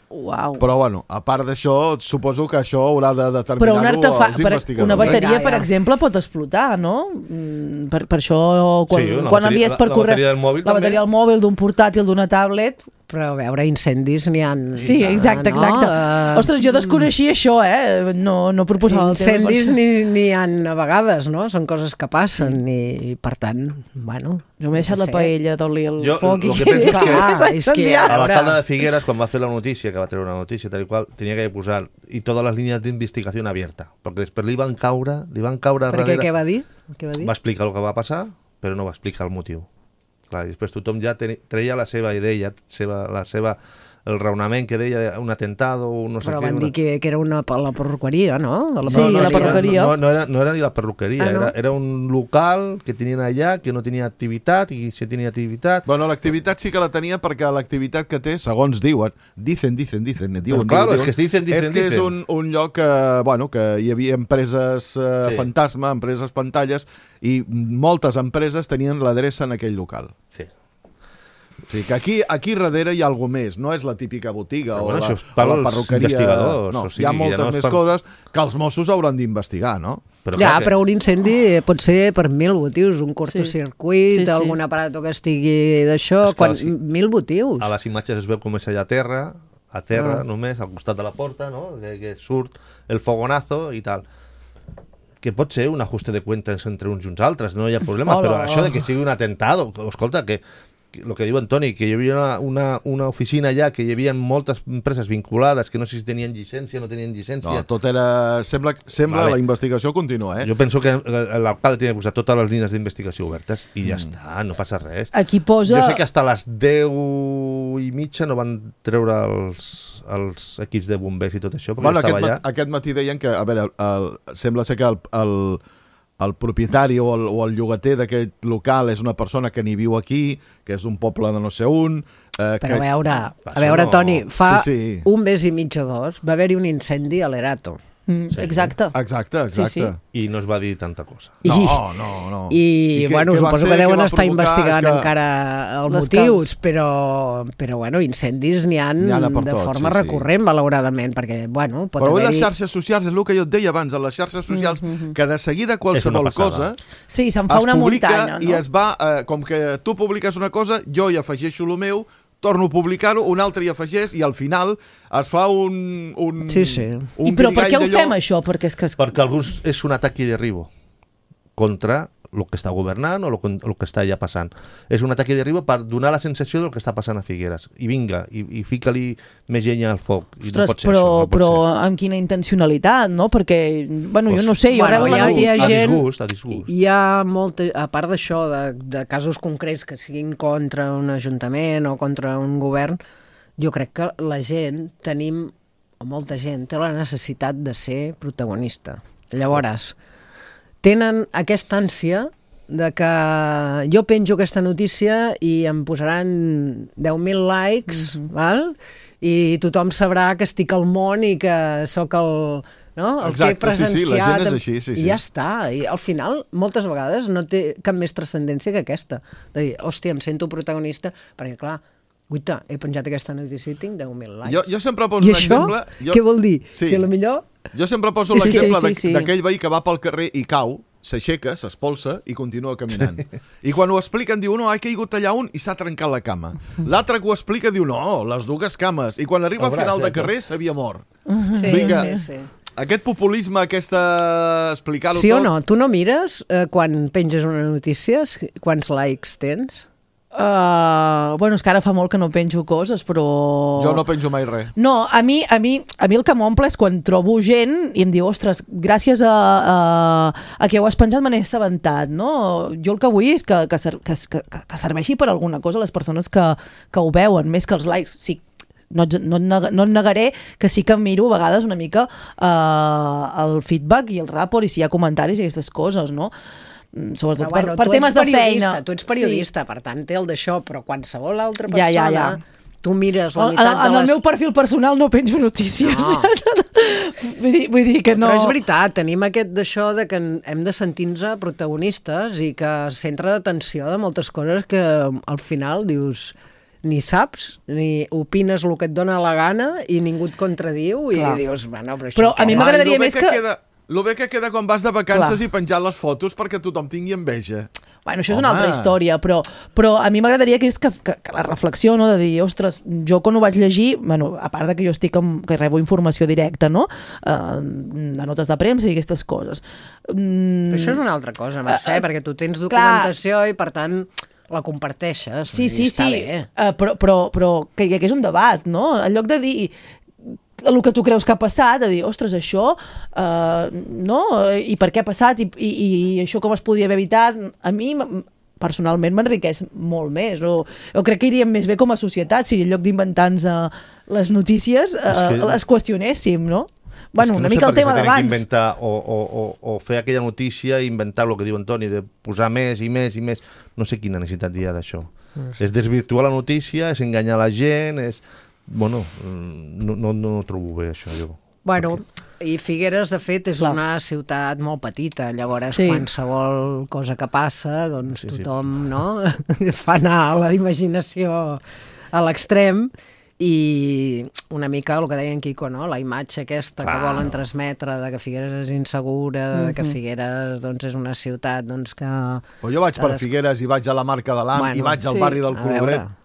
Uau. Però, bueno, a part d'això, suposo que això haurà de Però un determinar-ho artefa... els per, investigadors. una bateria, Ja, per ja. exemple, pot explotar, no? Mm, Per, per això, quan, Sí, una quan bateria- envies per la- la correu... bateria del mòbil la també. bateria del mòbil, d'un portàtil, d'una tablet... Però a veure, incendis n'hi ha... Sí, exacte, exacte. No? Ostres, jo desconeixia això, eh? No, no proposava el tema. Incendis n'hi n'hi ha a vegades, no? Són coses que passen i, i per tant, bueno... Jo m'he deixat no la sé. paella d'oli al Jo foc el i... que penso és que- Clar, és que incendiat. A veure. l'alcalde de Figueres, quan va fer la notícia, que va treure una notícia tal i qual, tenia que posar i totes les línies d'investigació abierta, perquè després li van caure, li van caure Perquè darrere. què va dir? Què va dir? Va explicar el que va passar, però no va explicar el motiu. Clar, i després tothom ja teni- treia la seva idea, seva, la seva, el raonament que deia un atentado, un no sé Però què. van una... dir que, que era una, la perruqueria, no? De Sí, la no, perruqueria. No, no, era, no era ni la perruqueria, Ah, no? era, era un local que tenien allà, que no tenia activitat, i si tenia activitat... Bueno, l'activitat sí que la tenia perquè l'activitat que té, segons diuen, dicen, dicen, dicen, diuen, Però, clar, diuen, és que es dicen, dicen, és que és dicen. un, un lloc que, bueno, que hi havia empreses eh, Sí. fantasma, empreses pantalles, i moltes empreses tenien l'adreça en aquell local. Sí. O sigui que aquí, aquí darrere hi ha alguna més, no és la típica botiga Però o, bueno, la, això és o per la als perruqueria. investigadors, No, o sigui, hi ha ja moltes no és més per- coses que els Mossos hauran d'investigar, no? Però, Ja, clar, que- però un incendi pot ser per mil motius, un cortocircuit, Sí, sí. algun aparato que estigui d'això, És que quan, sí. mil motius. a les imatges es veu com és allà a terra, a terra Ah. només, al costat de la porta, no? que, que surt el fogonazo i tal. Que pot ser un ajuste de cuentas entre uns i uns altres, no hi ha problema, Hola. però això de que sigui un atentado, escolta, que, que el que diu Antoni, que hi havia una, una, una oficina allà, que hi havia moltes empreses vinculades, que no sé si tenien llicència o no tenien llicència. No, tot era... Sembla, sembla Vale. la investigació continua, eh? Jo penso que l'alcalde tenia que posar totes les línies d'investigació obertes i Mm. ja està, no passa res. Aquí posa... Jo sé que hasta les deu i mitja no van treure els, els equips de bombers i tot això, perquè Bueno, jo aquest, estava allà. mat aquest matí deien que, a veure, el, sembla ser que el, el, el propietari o el, o el llogater d'aquest local és una persona que ni viu aquí, que és d'un poble de no sé on... Eh, Però que... a veure, Això a veure no- Toni, fa Sí, sí. un mes i mig o dos va haver-hi un incendi a l'Erato. Mm, exacte. Exacte, exacte. Sí, sí. I no es va dir tanta cosa. No, I, no, no. I, I què- bueno, què va suposo ser, que deuen què va estar provocar? investigant És que- encara els Les motius, però, però bueno, incendis n'hi ha N'hi ha de per de tot, forma sí, sí. recurrent, malauradament, perquè, bueno, pot Però avui les haver-hi... xarxes socials, és el que jo et deia abans, a les xarxes socials, mm -hmm. que de seguida qualsevol És una passada. cosa Sí, se'n fa es una publica muntanya, no? i es va, eh, com que tu publiques una cosa, jo hi afegeixo el meu, torno a publicar-ho, un altre hi afegeix i al final es fa un... un Sí, sí. un I però per què ho guirigall d'allò. fem, això? Perquè és que... Perquè alguns és un atac de derribo contra el que està governant o el que, el que està ja passant. És un atac de derriba per donar la sensació del que està passant a Figueres. I vinga, i, i fica-li més llenya al foc. I Ostres, no pot ser però, això, no pot però ser. amb quina intencionalitat, no? Perquè, bueno, Pues, jo no sé, jo bueno, rebo la hi ha- hi ha notícia... A gent- disgust, a disgust. Hi ha molta, a part d'això, de, de casos concrets que siguin contra un ajuntament o contra un govern, jo crec que la gent tenim, o molta gent, té la necessitat de ser protagonista. Llavors, tenen aquesta ànsia de que jo penjo aquesta notícia i em posaran deu mil likes, mm-hmm. val? I tothom sabrà que estic al món i que sóc el... No? El Exacte, que he presenciat, sí, sí, la gent és així, sí, sí. i ja està, i al final moltes vegades no té cap més transcendència que aquesta, de dir, hòstia, em sento protagonista, perquè clar, guita, he penjat aquesta notícia i tinc deu mil likes. Jo, jo sempre poso I un això, exemple... Jo... què vol dir? Sí. Si a lo millor... Jo sempre poso Sí, l'exemple sí, sí, sí, sí. d'aquell veí que va pel carrer i cau, s'aixeca, s'espolsa i continua caminant. I quan ho expliquen diu, no, ha caigut allà un i s'ha trencat la cama. L'altre que ho explica diu, no, les dues cames. I quan arriba al final de carrer s'havia mort. Sí, Vull dir que sí, sí. Aquest populisme, aquesta... explicar-ho Sí tot... o no? Tu no mires eh, quan penges una notícia quants likes tens? Uh, bueno, és que ara fa molt que no penjo coses, però... Jo no penjo mai res. No, a mi, a mi, a mi el que m'omple és quan trobo gent i em diu, ostres, gràcies a, a, a que ho has penjat me n'he assabentat, no? Jo el que vull és que, que, ser, que, que, que serveixi per alguna cosa a les persones que, que ho veuen, més que els likes. Sí, no, no, no et negaré que sí que miro a vegades una mica uh, el feedback i el rapport i si hi ha comentaris i aquestes coses, no? Sobretot Però, bueno, per, per temes de feina. Tu ets periodista, sí. Per tant té el d'això, però qualsevol altra persona... Ja, ja, ja. Tu mires la En, meitat en de el les... meu perfil personal no penjo notícies. No. vull, dir, vull dir que no... Però és veritat, tenim aquest d'això de que hem de sentir-nos protagonistes i que centre d'atenció de moltes coses que al final dius ni saps, ni opines el que et dona la gana i ningú et contradiu i Clar. dius, bueno, però això... Però a mi m'agradaria més que... Queda... Lo bé que queda quan vas de vacances Clar. i penjar les fotos perquè tothom tingui enveja. Bueno, això és Home. una altra història, però, però a mi m'agradaria que és que, que, que la reflexió, no?, de dir, ostres, jo quan ho vaig llegir, bueno, a part de que jo estic amb, que rebo informació directa, no?, uh, de notes de premsa i aquestes coses. Mm, Però això és una altra cosa, Mercè, uh, perquè tu tens documentació clar. I per tant la comparteixes. Sí, sí, està sí, bé. uh, però, però, però que hi hagués un debat, no?, en lloc de dir el que tu creus que ha passat, a dir, ostres, això, uh, no? I per què ha passat? I, i, i això com es podria haver evitat? A mi, personalment, m'enriqueix molt més. O, o crec que iríem més bé com a societat si en lloc d'inventar-nos uh, les notícies uh, que... les qüestionéssim, no? Bueno, no una sé mica el per què tema s'ha d'abans. Inventar o, o, o, o fer aquella notícia i inventar el que diu Antoni, de posar més i més i més. No sé quina necessitat hi ha d'això. No sé. És desvirtuar la notícia, és enganyar la gent, és... Bueno, no, no, no ho trobo bé, això, jo. Bueno, i Figueres, de fet, és Clar. una ciutat molt petita, llavors Sí. qualsevol cosa que passa, doncs Sí, sí. tothom, no?, fa anar la imaginació a l'extrem i una mica el que deia en Quico, no?, la imatge aquesta Clar. que volen transmetre de que Figueres és insegura, de que Figueres doncs, és una ciutat doncs, que... Però jo vaig per Figueres i vaig a la Marca de l'Am Bueno, i vaig al sí. barri del A Colobret. veure.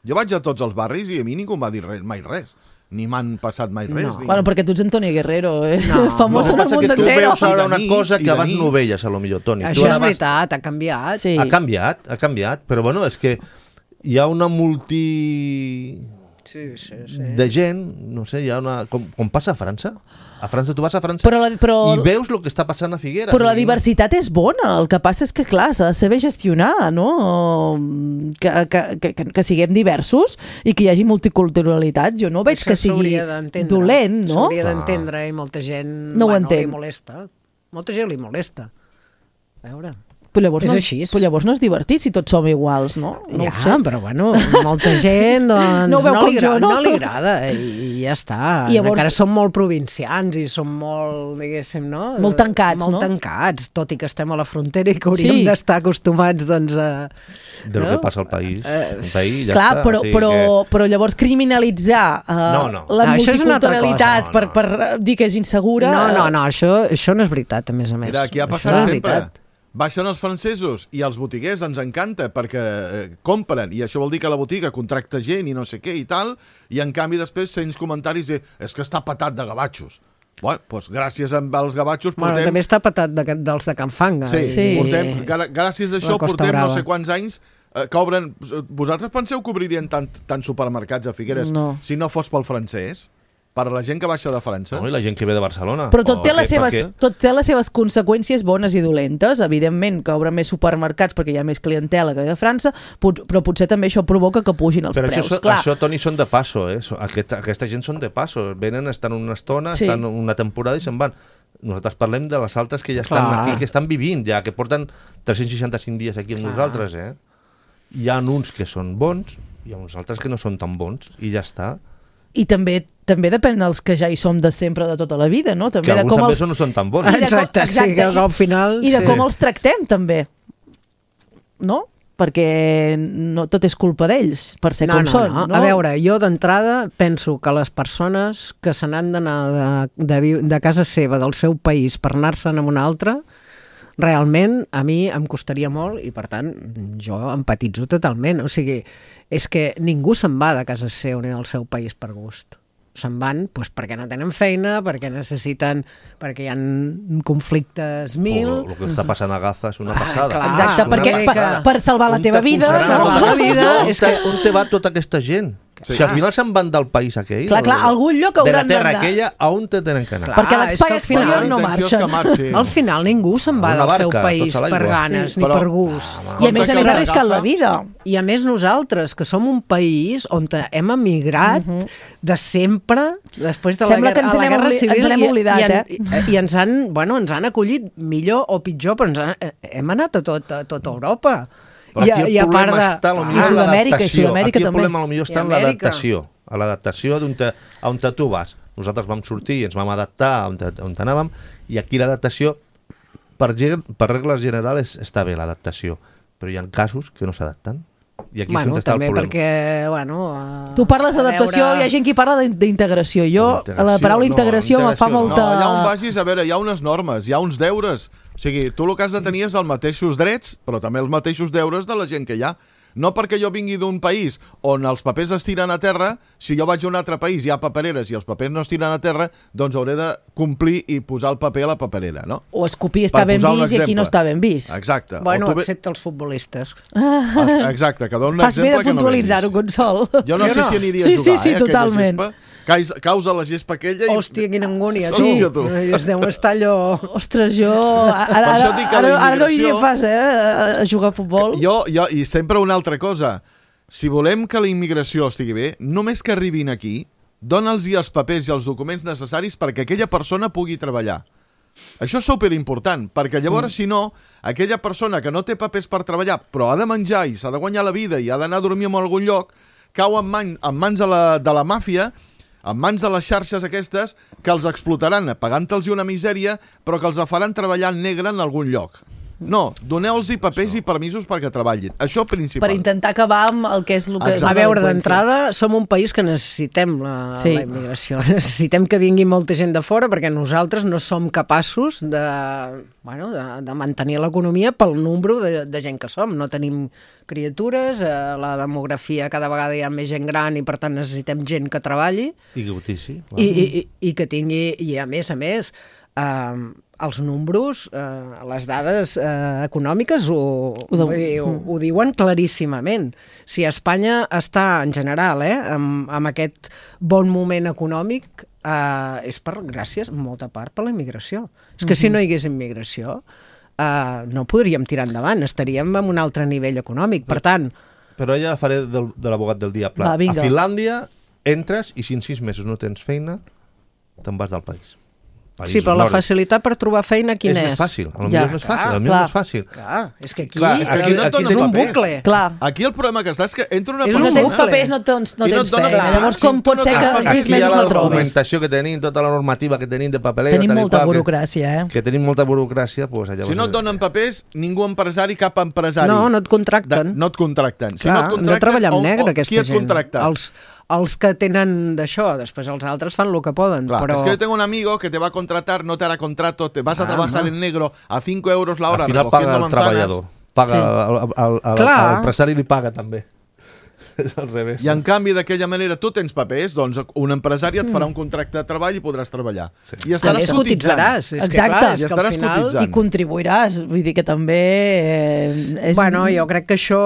Jo vaig a tots els barris i a mi ningú em va dir res, mai res. Ni m'han passat mai res. No. Ni... Bueno, perquè tu ets Antonio Guerrero, eh? No, Famós No, en el passa món que tu entero. veus ara I de una nit, cosa i que de abans nit. no veies, a lo millor, Toni. Tu Això ara és vas- veritat, ha canviat. Sí. Ha canviat, ha canviat, però bueno, és que hi ha una multi... Sí, sí, sí. de gent, no sé, hi ha una... Com, com passa a França? A França, tu vas a França Però la- però- i veus el que està passant a Figueres. Però la I- diversitat és bona, el que passa és que, clar, s'ha de saber gestionar, no? Que, que, que, que, que siguem diversos i que hi hagi multiculturalitat. Jo no veig Això que sigui s'hauria d'entendre. dolent, no? S'hauria d'entendre i molta gent No ho bueno, li entenc. molesta. Molta gent li molesta. A veure... Però llavors, És no, així. però llavors no és divertit si tots som iguals, no? No ja, ho sé. però bueno, molta gent doncs, No ho veu no, com li agrada, jo, no? no li agrada i, i ja està. I llavors- Encara som molt provincians i som molt, diguéssim, no? Molt tancats, molt no? tancats, tot i que estem a la frontera i que hauríem Sí. d'estar acostumats doncs, a... de lo no? que passa al país. Eh, El país ja Clar, està. però, o sigui però, que- però llavors criminalitzar uh, No, no. la No, això és una altra multiculturalitat cosa. per, No, per eh, dir que és insegura... No, no, no, això, això no és veritat, a més a més. Mira, aquí ha Això passat no és sempre. veritat. Baixen els francesos i els botiguers ens encanta perquè eh, compren, i això vol dir que la botiga contracta gent i no sé què i tal, i en canvi després sents comentaris de és que està patat de gavatxos. Bueno, doncs gràcies als gavatxos Bueno, portem... també està patat de, dels de Can Fanga. Sí, Sí. portem, gra- gràcies a això La Costa portem no Brava. sé quants anys eh, que obren... Vosaltres penseu que obririen tant, tant supermercats a Figueres No. si no fos pel francès? Per la gent que baixa de França? No, i la gent que ve de Barcelona. Però tot té, Per les què? Per seves, què? tot té les seves conseqüències bones i dolentes. Evidentment que obren més supermercats perquè hi ha més clientela que ve de França, pot- però potser també això provoca que pugin els Però preus. això, Clar, això, Toni, són de passo, eh? So- Aquesta, aquesta gent són de passo. Venen, estan una estona, Sí. estan una temporada i se'n van. Nosaltres parlem de les altres que ja estan Clar. aquí, que estan vivint ja, que porten tres-cents seixanta-cinc dies aquí amb Clar. nosaltres, eh? Hi ha uns que són bons i hi ha uns altres que no són tan bons, i ja està. I també també depèn dels que ja hi som de sempre, de tota la vida, no? També Que de alguns com també els... són, no són tan bons. I de com- Exacte, sí, que al final... I de sí. com els tractem, també. No? Perquè no tot és culpa d'ells, per ser No, com no, són. no. No? A veure, jo d'entrada penso que les persones que se n'han d'anar de, de, vi- de casa seva, del seu país, per anar-se'n a una altra, realment a mi em costaria molt i, per tant, jo empatitzo totalment. O sigui, és que ningú se'n va de casa seva ni del seu país per gust. Se'n van doncs, perquè no tenen feina, perquè necessiten, perquè hi ha conflictes mil... O el que està passant a Gaza és una passada. clar. Exacte, És una perquè per, passada. per salvar la On teva te vida... posaran no? a salvar la vida, On és te- que- On te va tota aquesta gent? Sí. Si al final se'n van del país aquell... Clar, clar, o- algun lloc de la hauran terra d'anar. aquella, a on te tenen que anar? Clar. Perquè Ah, l'espai és que al exterior final no la intenció és que marxa. marxin. Al final ningú se'n va Una del seu barca, país tota l'aigua. per ganes Sí, ni però- per gust. I a més a Compte més que arrisquen la agafa- vida. I a més nosaltres, que som un país on hem emigrat de sempre, després de la Sembla que guerra, ens a la n'hem guerra obli- civil, ens n'hem i- oblidat, i, en- eh? i, i ens han, bueno, ens han acollit millor o pitjor, però ens han, eh, hem anat a tot, a tota Europa. Però I, aquí el i a part problema de... està I potser en Sud-amèrica, i l'adaptació. Sud-amèrica Aquí el també. problema potser està I en Amèrica. l'adaptació. A l'adaptació d'on te, a on te tu vas. Nosaltres vam sortir i ens vam adaptar a on, te, on te anàvem, i aquí l'adaptació, per, gen- per regles generals, està bé l'adaptació, però hi ha casos que no s'adapten. I aquí és Bueno, on està el també problema. perquè, bueno... Tu parles a d'adaptació, veure- hi ha gent que parla d'in- d'integració. Jo, Integració, la paraula no, integració me fa integració no. molta... No, allà on vagis, a veure, hi ha unes normes, hi ha uns deures. O sigui, tu el que has de tenir és els mateixos drets, però també els mateixos deures de la gent que hi ha. No perquè jo vingui d'un país on els papers es tiren a terra, si jo vaig a un altre país i hi ha papereres i els papers no es tiren a terra, doncs hauré de complir i posar el paper a la paperera, no? O escopir està Per ben posar un vist i aquí exemple. no està ben vist. Exacte. Bueno, O tu ve- excepte els futbolistes. Ah, exacte, que dono un Fas bé exemple de que no puntualitzar-ho, vegis. Consol. Jo no Sí o sé no? si aniria Sí, a jugar, sí, sí, eh, aquella totalment. gespa. Cais, causa la gespa aquella i... Hòstia, quina angúnia, tu. Sí. tu. I es deu estar allò... Ostres, jo... Ara, Per ara, això dic que ara, la ara no hi immigració- pas, eh, a- a jugar a futbol. Jo, jo, i sempre una altra cosa. Si volem que la immigració estigui bé, només que arribin aquí, dona'ls els papers i els documents necessaris perquè aquella persona pugui treballar. Això és superimportant, perquè llavors, mm. si no, aquella persona que no té papers per treballar, però ha de menjar i s'ha de guanyar la vida i ha d'anar a dormir en algun lloc, cau en, man, en mans de la, de la màfia, en mans de les xarxes aquestes, que els explotaran pagant-los una misèria, però que els faran treballar en negre en algun lloc. No, doneu-los papers i permisos perquè treballin. Això principal. Per intentar acabar amb el que és el que és la A veure, delinqüència. d'entrada, som un país que necessitem la, Sí. la immigració. Necessitem que vingui molta gent de fora perquè nosaltres no som capaços de, bueno, de, de mantenir l'economia pel número de, de gent que som. No tenim criatures, eh, la demografia cada vegada hi ha més gent gran i per tant necessitem gent que treballi I que utilitzi. i, i, i, i que tingui, i a més a més, eh, els números, eh, les dades eh, econòmiques ho, ho, Ho ho, ho, ho diuen claríssimament. Si Espanya està, en general, eh, amb, amb aquest bon moment econòmic, eh, és per, gràcies, en molta part, per la immigració. És que si no hi hagués immigració, eh, no podríem tirar endavant, estaríem en un altre nivell econòmic. Per tant, Però ja faré del, de l'abogat del diable. Va, vinga. A Finlàndia entres i si en sis mesos no tens feina, te'n vas del país. Països sí, però la nòrdics. facilitat per trobar feina quina és? És més fàcil, a lo Ja. millor no és fàcil, a lo Clar, millor no és fàcil. Clar, és que aquí, Clar, és que aquí no et aquí donen és és un papers. bucle. Clar, Aquí el problema que està és que entra una És si un no persona... tens bucle. papers no tens, no I no tens et donen feina. papers. Llavors Si com tu pot no ser tens que en papers, sis Aquí hi ha mesos la no trobis? documentació que tenim, tota la normativa que tenim de papelera... Tenim tal i molta qual, que- burocràcia, eh? Que tenim molta burocràcia, doncs llavors... Si no et donen papers, ningú empresari, cap empresari... No, no et contracten. De, no et contracten. Si Clar, no et han de contracten, treballar amb o- negre, o aquesta qui et gent. contracta? Els, els que tenen d'això, després els altres fan el que poden. Claro, però... es que yo tengo un amigo que te va a contratar, no te hará contrato, te vas a Ah, trabajar no. en negro a cinco euros la hora Al final recogiendo paga el manzanas. treballador. Paga Sí. el, el, el, Clar. el, l'empresari li paga també. És al revés. I en canvi, d'aquella manera, tu tens papers, doncs un empresari et farà un contracte de treball i podràs treballar. Sí. I estaràs Més cotitzant. cotitzaràs. És que, Exacte. clar, és I que al estaràs final... cotitzant. I contribuiràs, vull dir que també... Eh, és... Bueno, jo crec que això...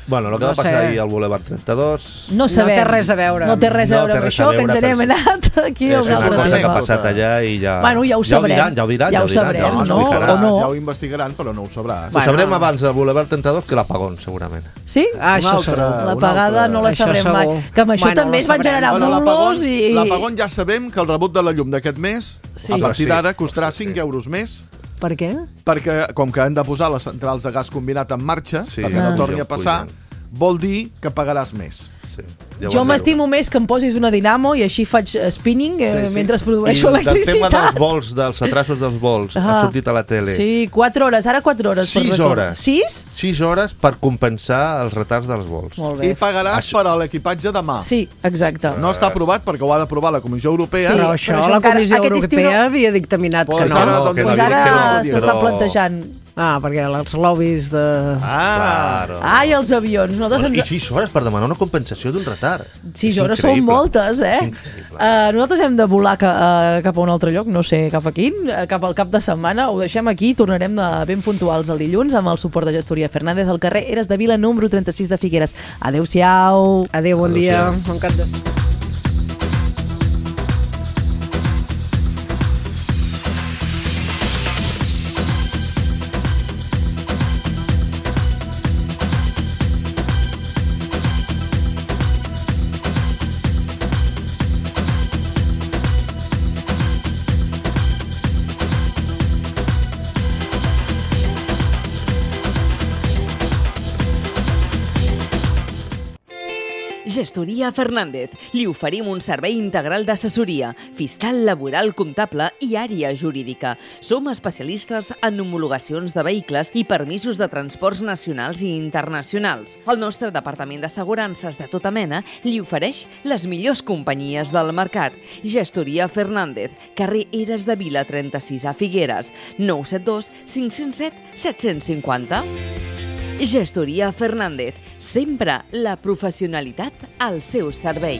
Bueno, el que No va passar sé. ahir al Boulevard trenta-dos... No sabem. té res a veure. No té res a No veure té amb res a això, que ens veure, n'hem però sí. anat aquí a És un una altre cosa que ha tema. passat allà i ja... Bueno, ja ho sabrem. Ja ho diran, ja ho diran. Ja ho ho diran, sabrem, ja ho no? explicaran. O no? Ja ho investigaran, però no ho sabràs. Ho Bueno. sabrem abans del Boulevard trenta-dos que l'apagón, segurament. Sí? Ah, això Un altre. segur. La un pagada altre. no la Això sabrem mai. segur. Que amb això Bueno, també la es van sabrem. generar Bueno, bulos i... L'apagón ja sabem que el rebut de la llum d'aquest mes, Sí. a partir Sí. d'ara, costarà Sí. cinc euros més, Per què? perquè com que han de posar les centrals de gas combinat en marxa, Sí. perquè no Ah. torni Ja a ho passar, pugen. vol dir que pagaràs més. Sí. Ja ho Jo vas m'estimo veure. més que em posis una dinamo i així faig eh, spinning eh, Sí, sí. mentre produeixo I del tema electricitat. dels vols, dels atrasos dels vols, Ah. ha sortit a la tele. Sí, quatre hores, ara quatre hores. per Sis record. hores. Sis? Sis hores per compensar els retards dels vols. Molt I bé. pagaràs per a l'equipatge de mà. Sí, exacte. No està aprovat perquè ho ha d'aprovar la Comissió Europea. Sí. Però això, però això la encara- Comissió aquest estiu Europea no- havia dictaminat Pues que no. ara, no, doncs, que Pues no, ara que no, s'està però- plantejant. Ah, perquè els lobbies de... Ah, Claro. Ah, i els avions. Nosaltres I ens... sis hores per demanar una compensació d'un retard. Sis És hores són increïble. moltes, eh? És increïble. Uh, nosaltres hem de volar ca, uh, cap a un altre lloc, no sé cap a quin, uh, cap al cap de setmana. Ho deixem aquí, tornarem de ben puntuals el dilluns amb el suport de gestoria Fernández al carrer Eres de Vila, número trenta-sis de Figueres. Adéu-siau. Adéu, bon dia. Bon cap de setmana. Gestoria Fernández. Li oferim un servei integral d'assessoria, fiscal, laboral, comptable i àrea jurídica. Som especialistes en homologacions de vehicles i permisos de transports nacionals i internacionals. El nostre departament d'assegurances de tota mena li ofereix les millors companyies del mercat. Gestoria Fernández, carrer Eres de Vila trenta-sis a Figueres, nou set dos cinc zero set set cinc zero. Gestoria Fernández, sempre la professionalitat al seu servei.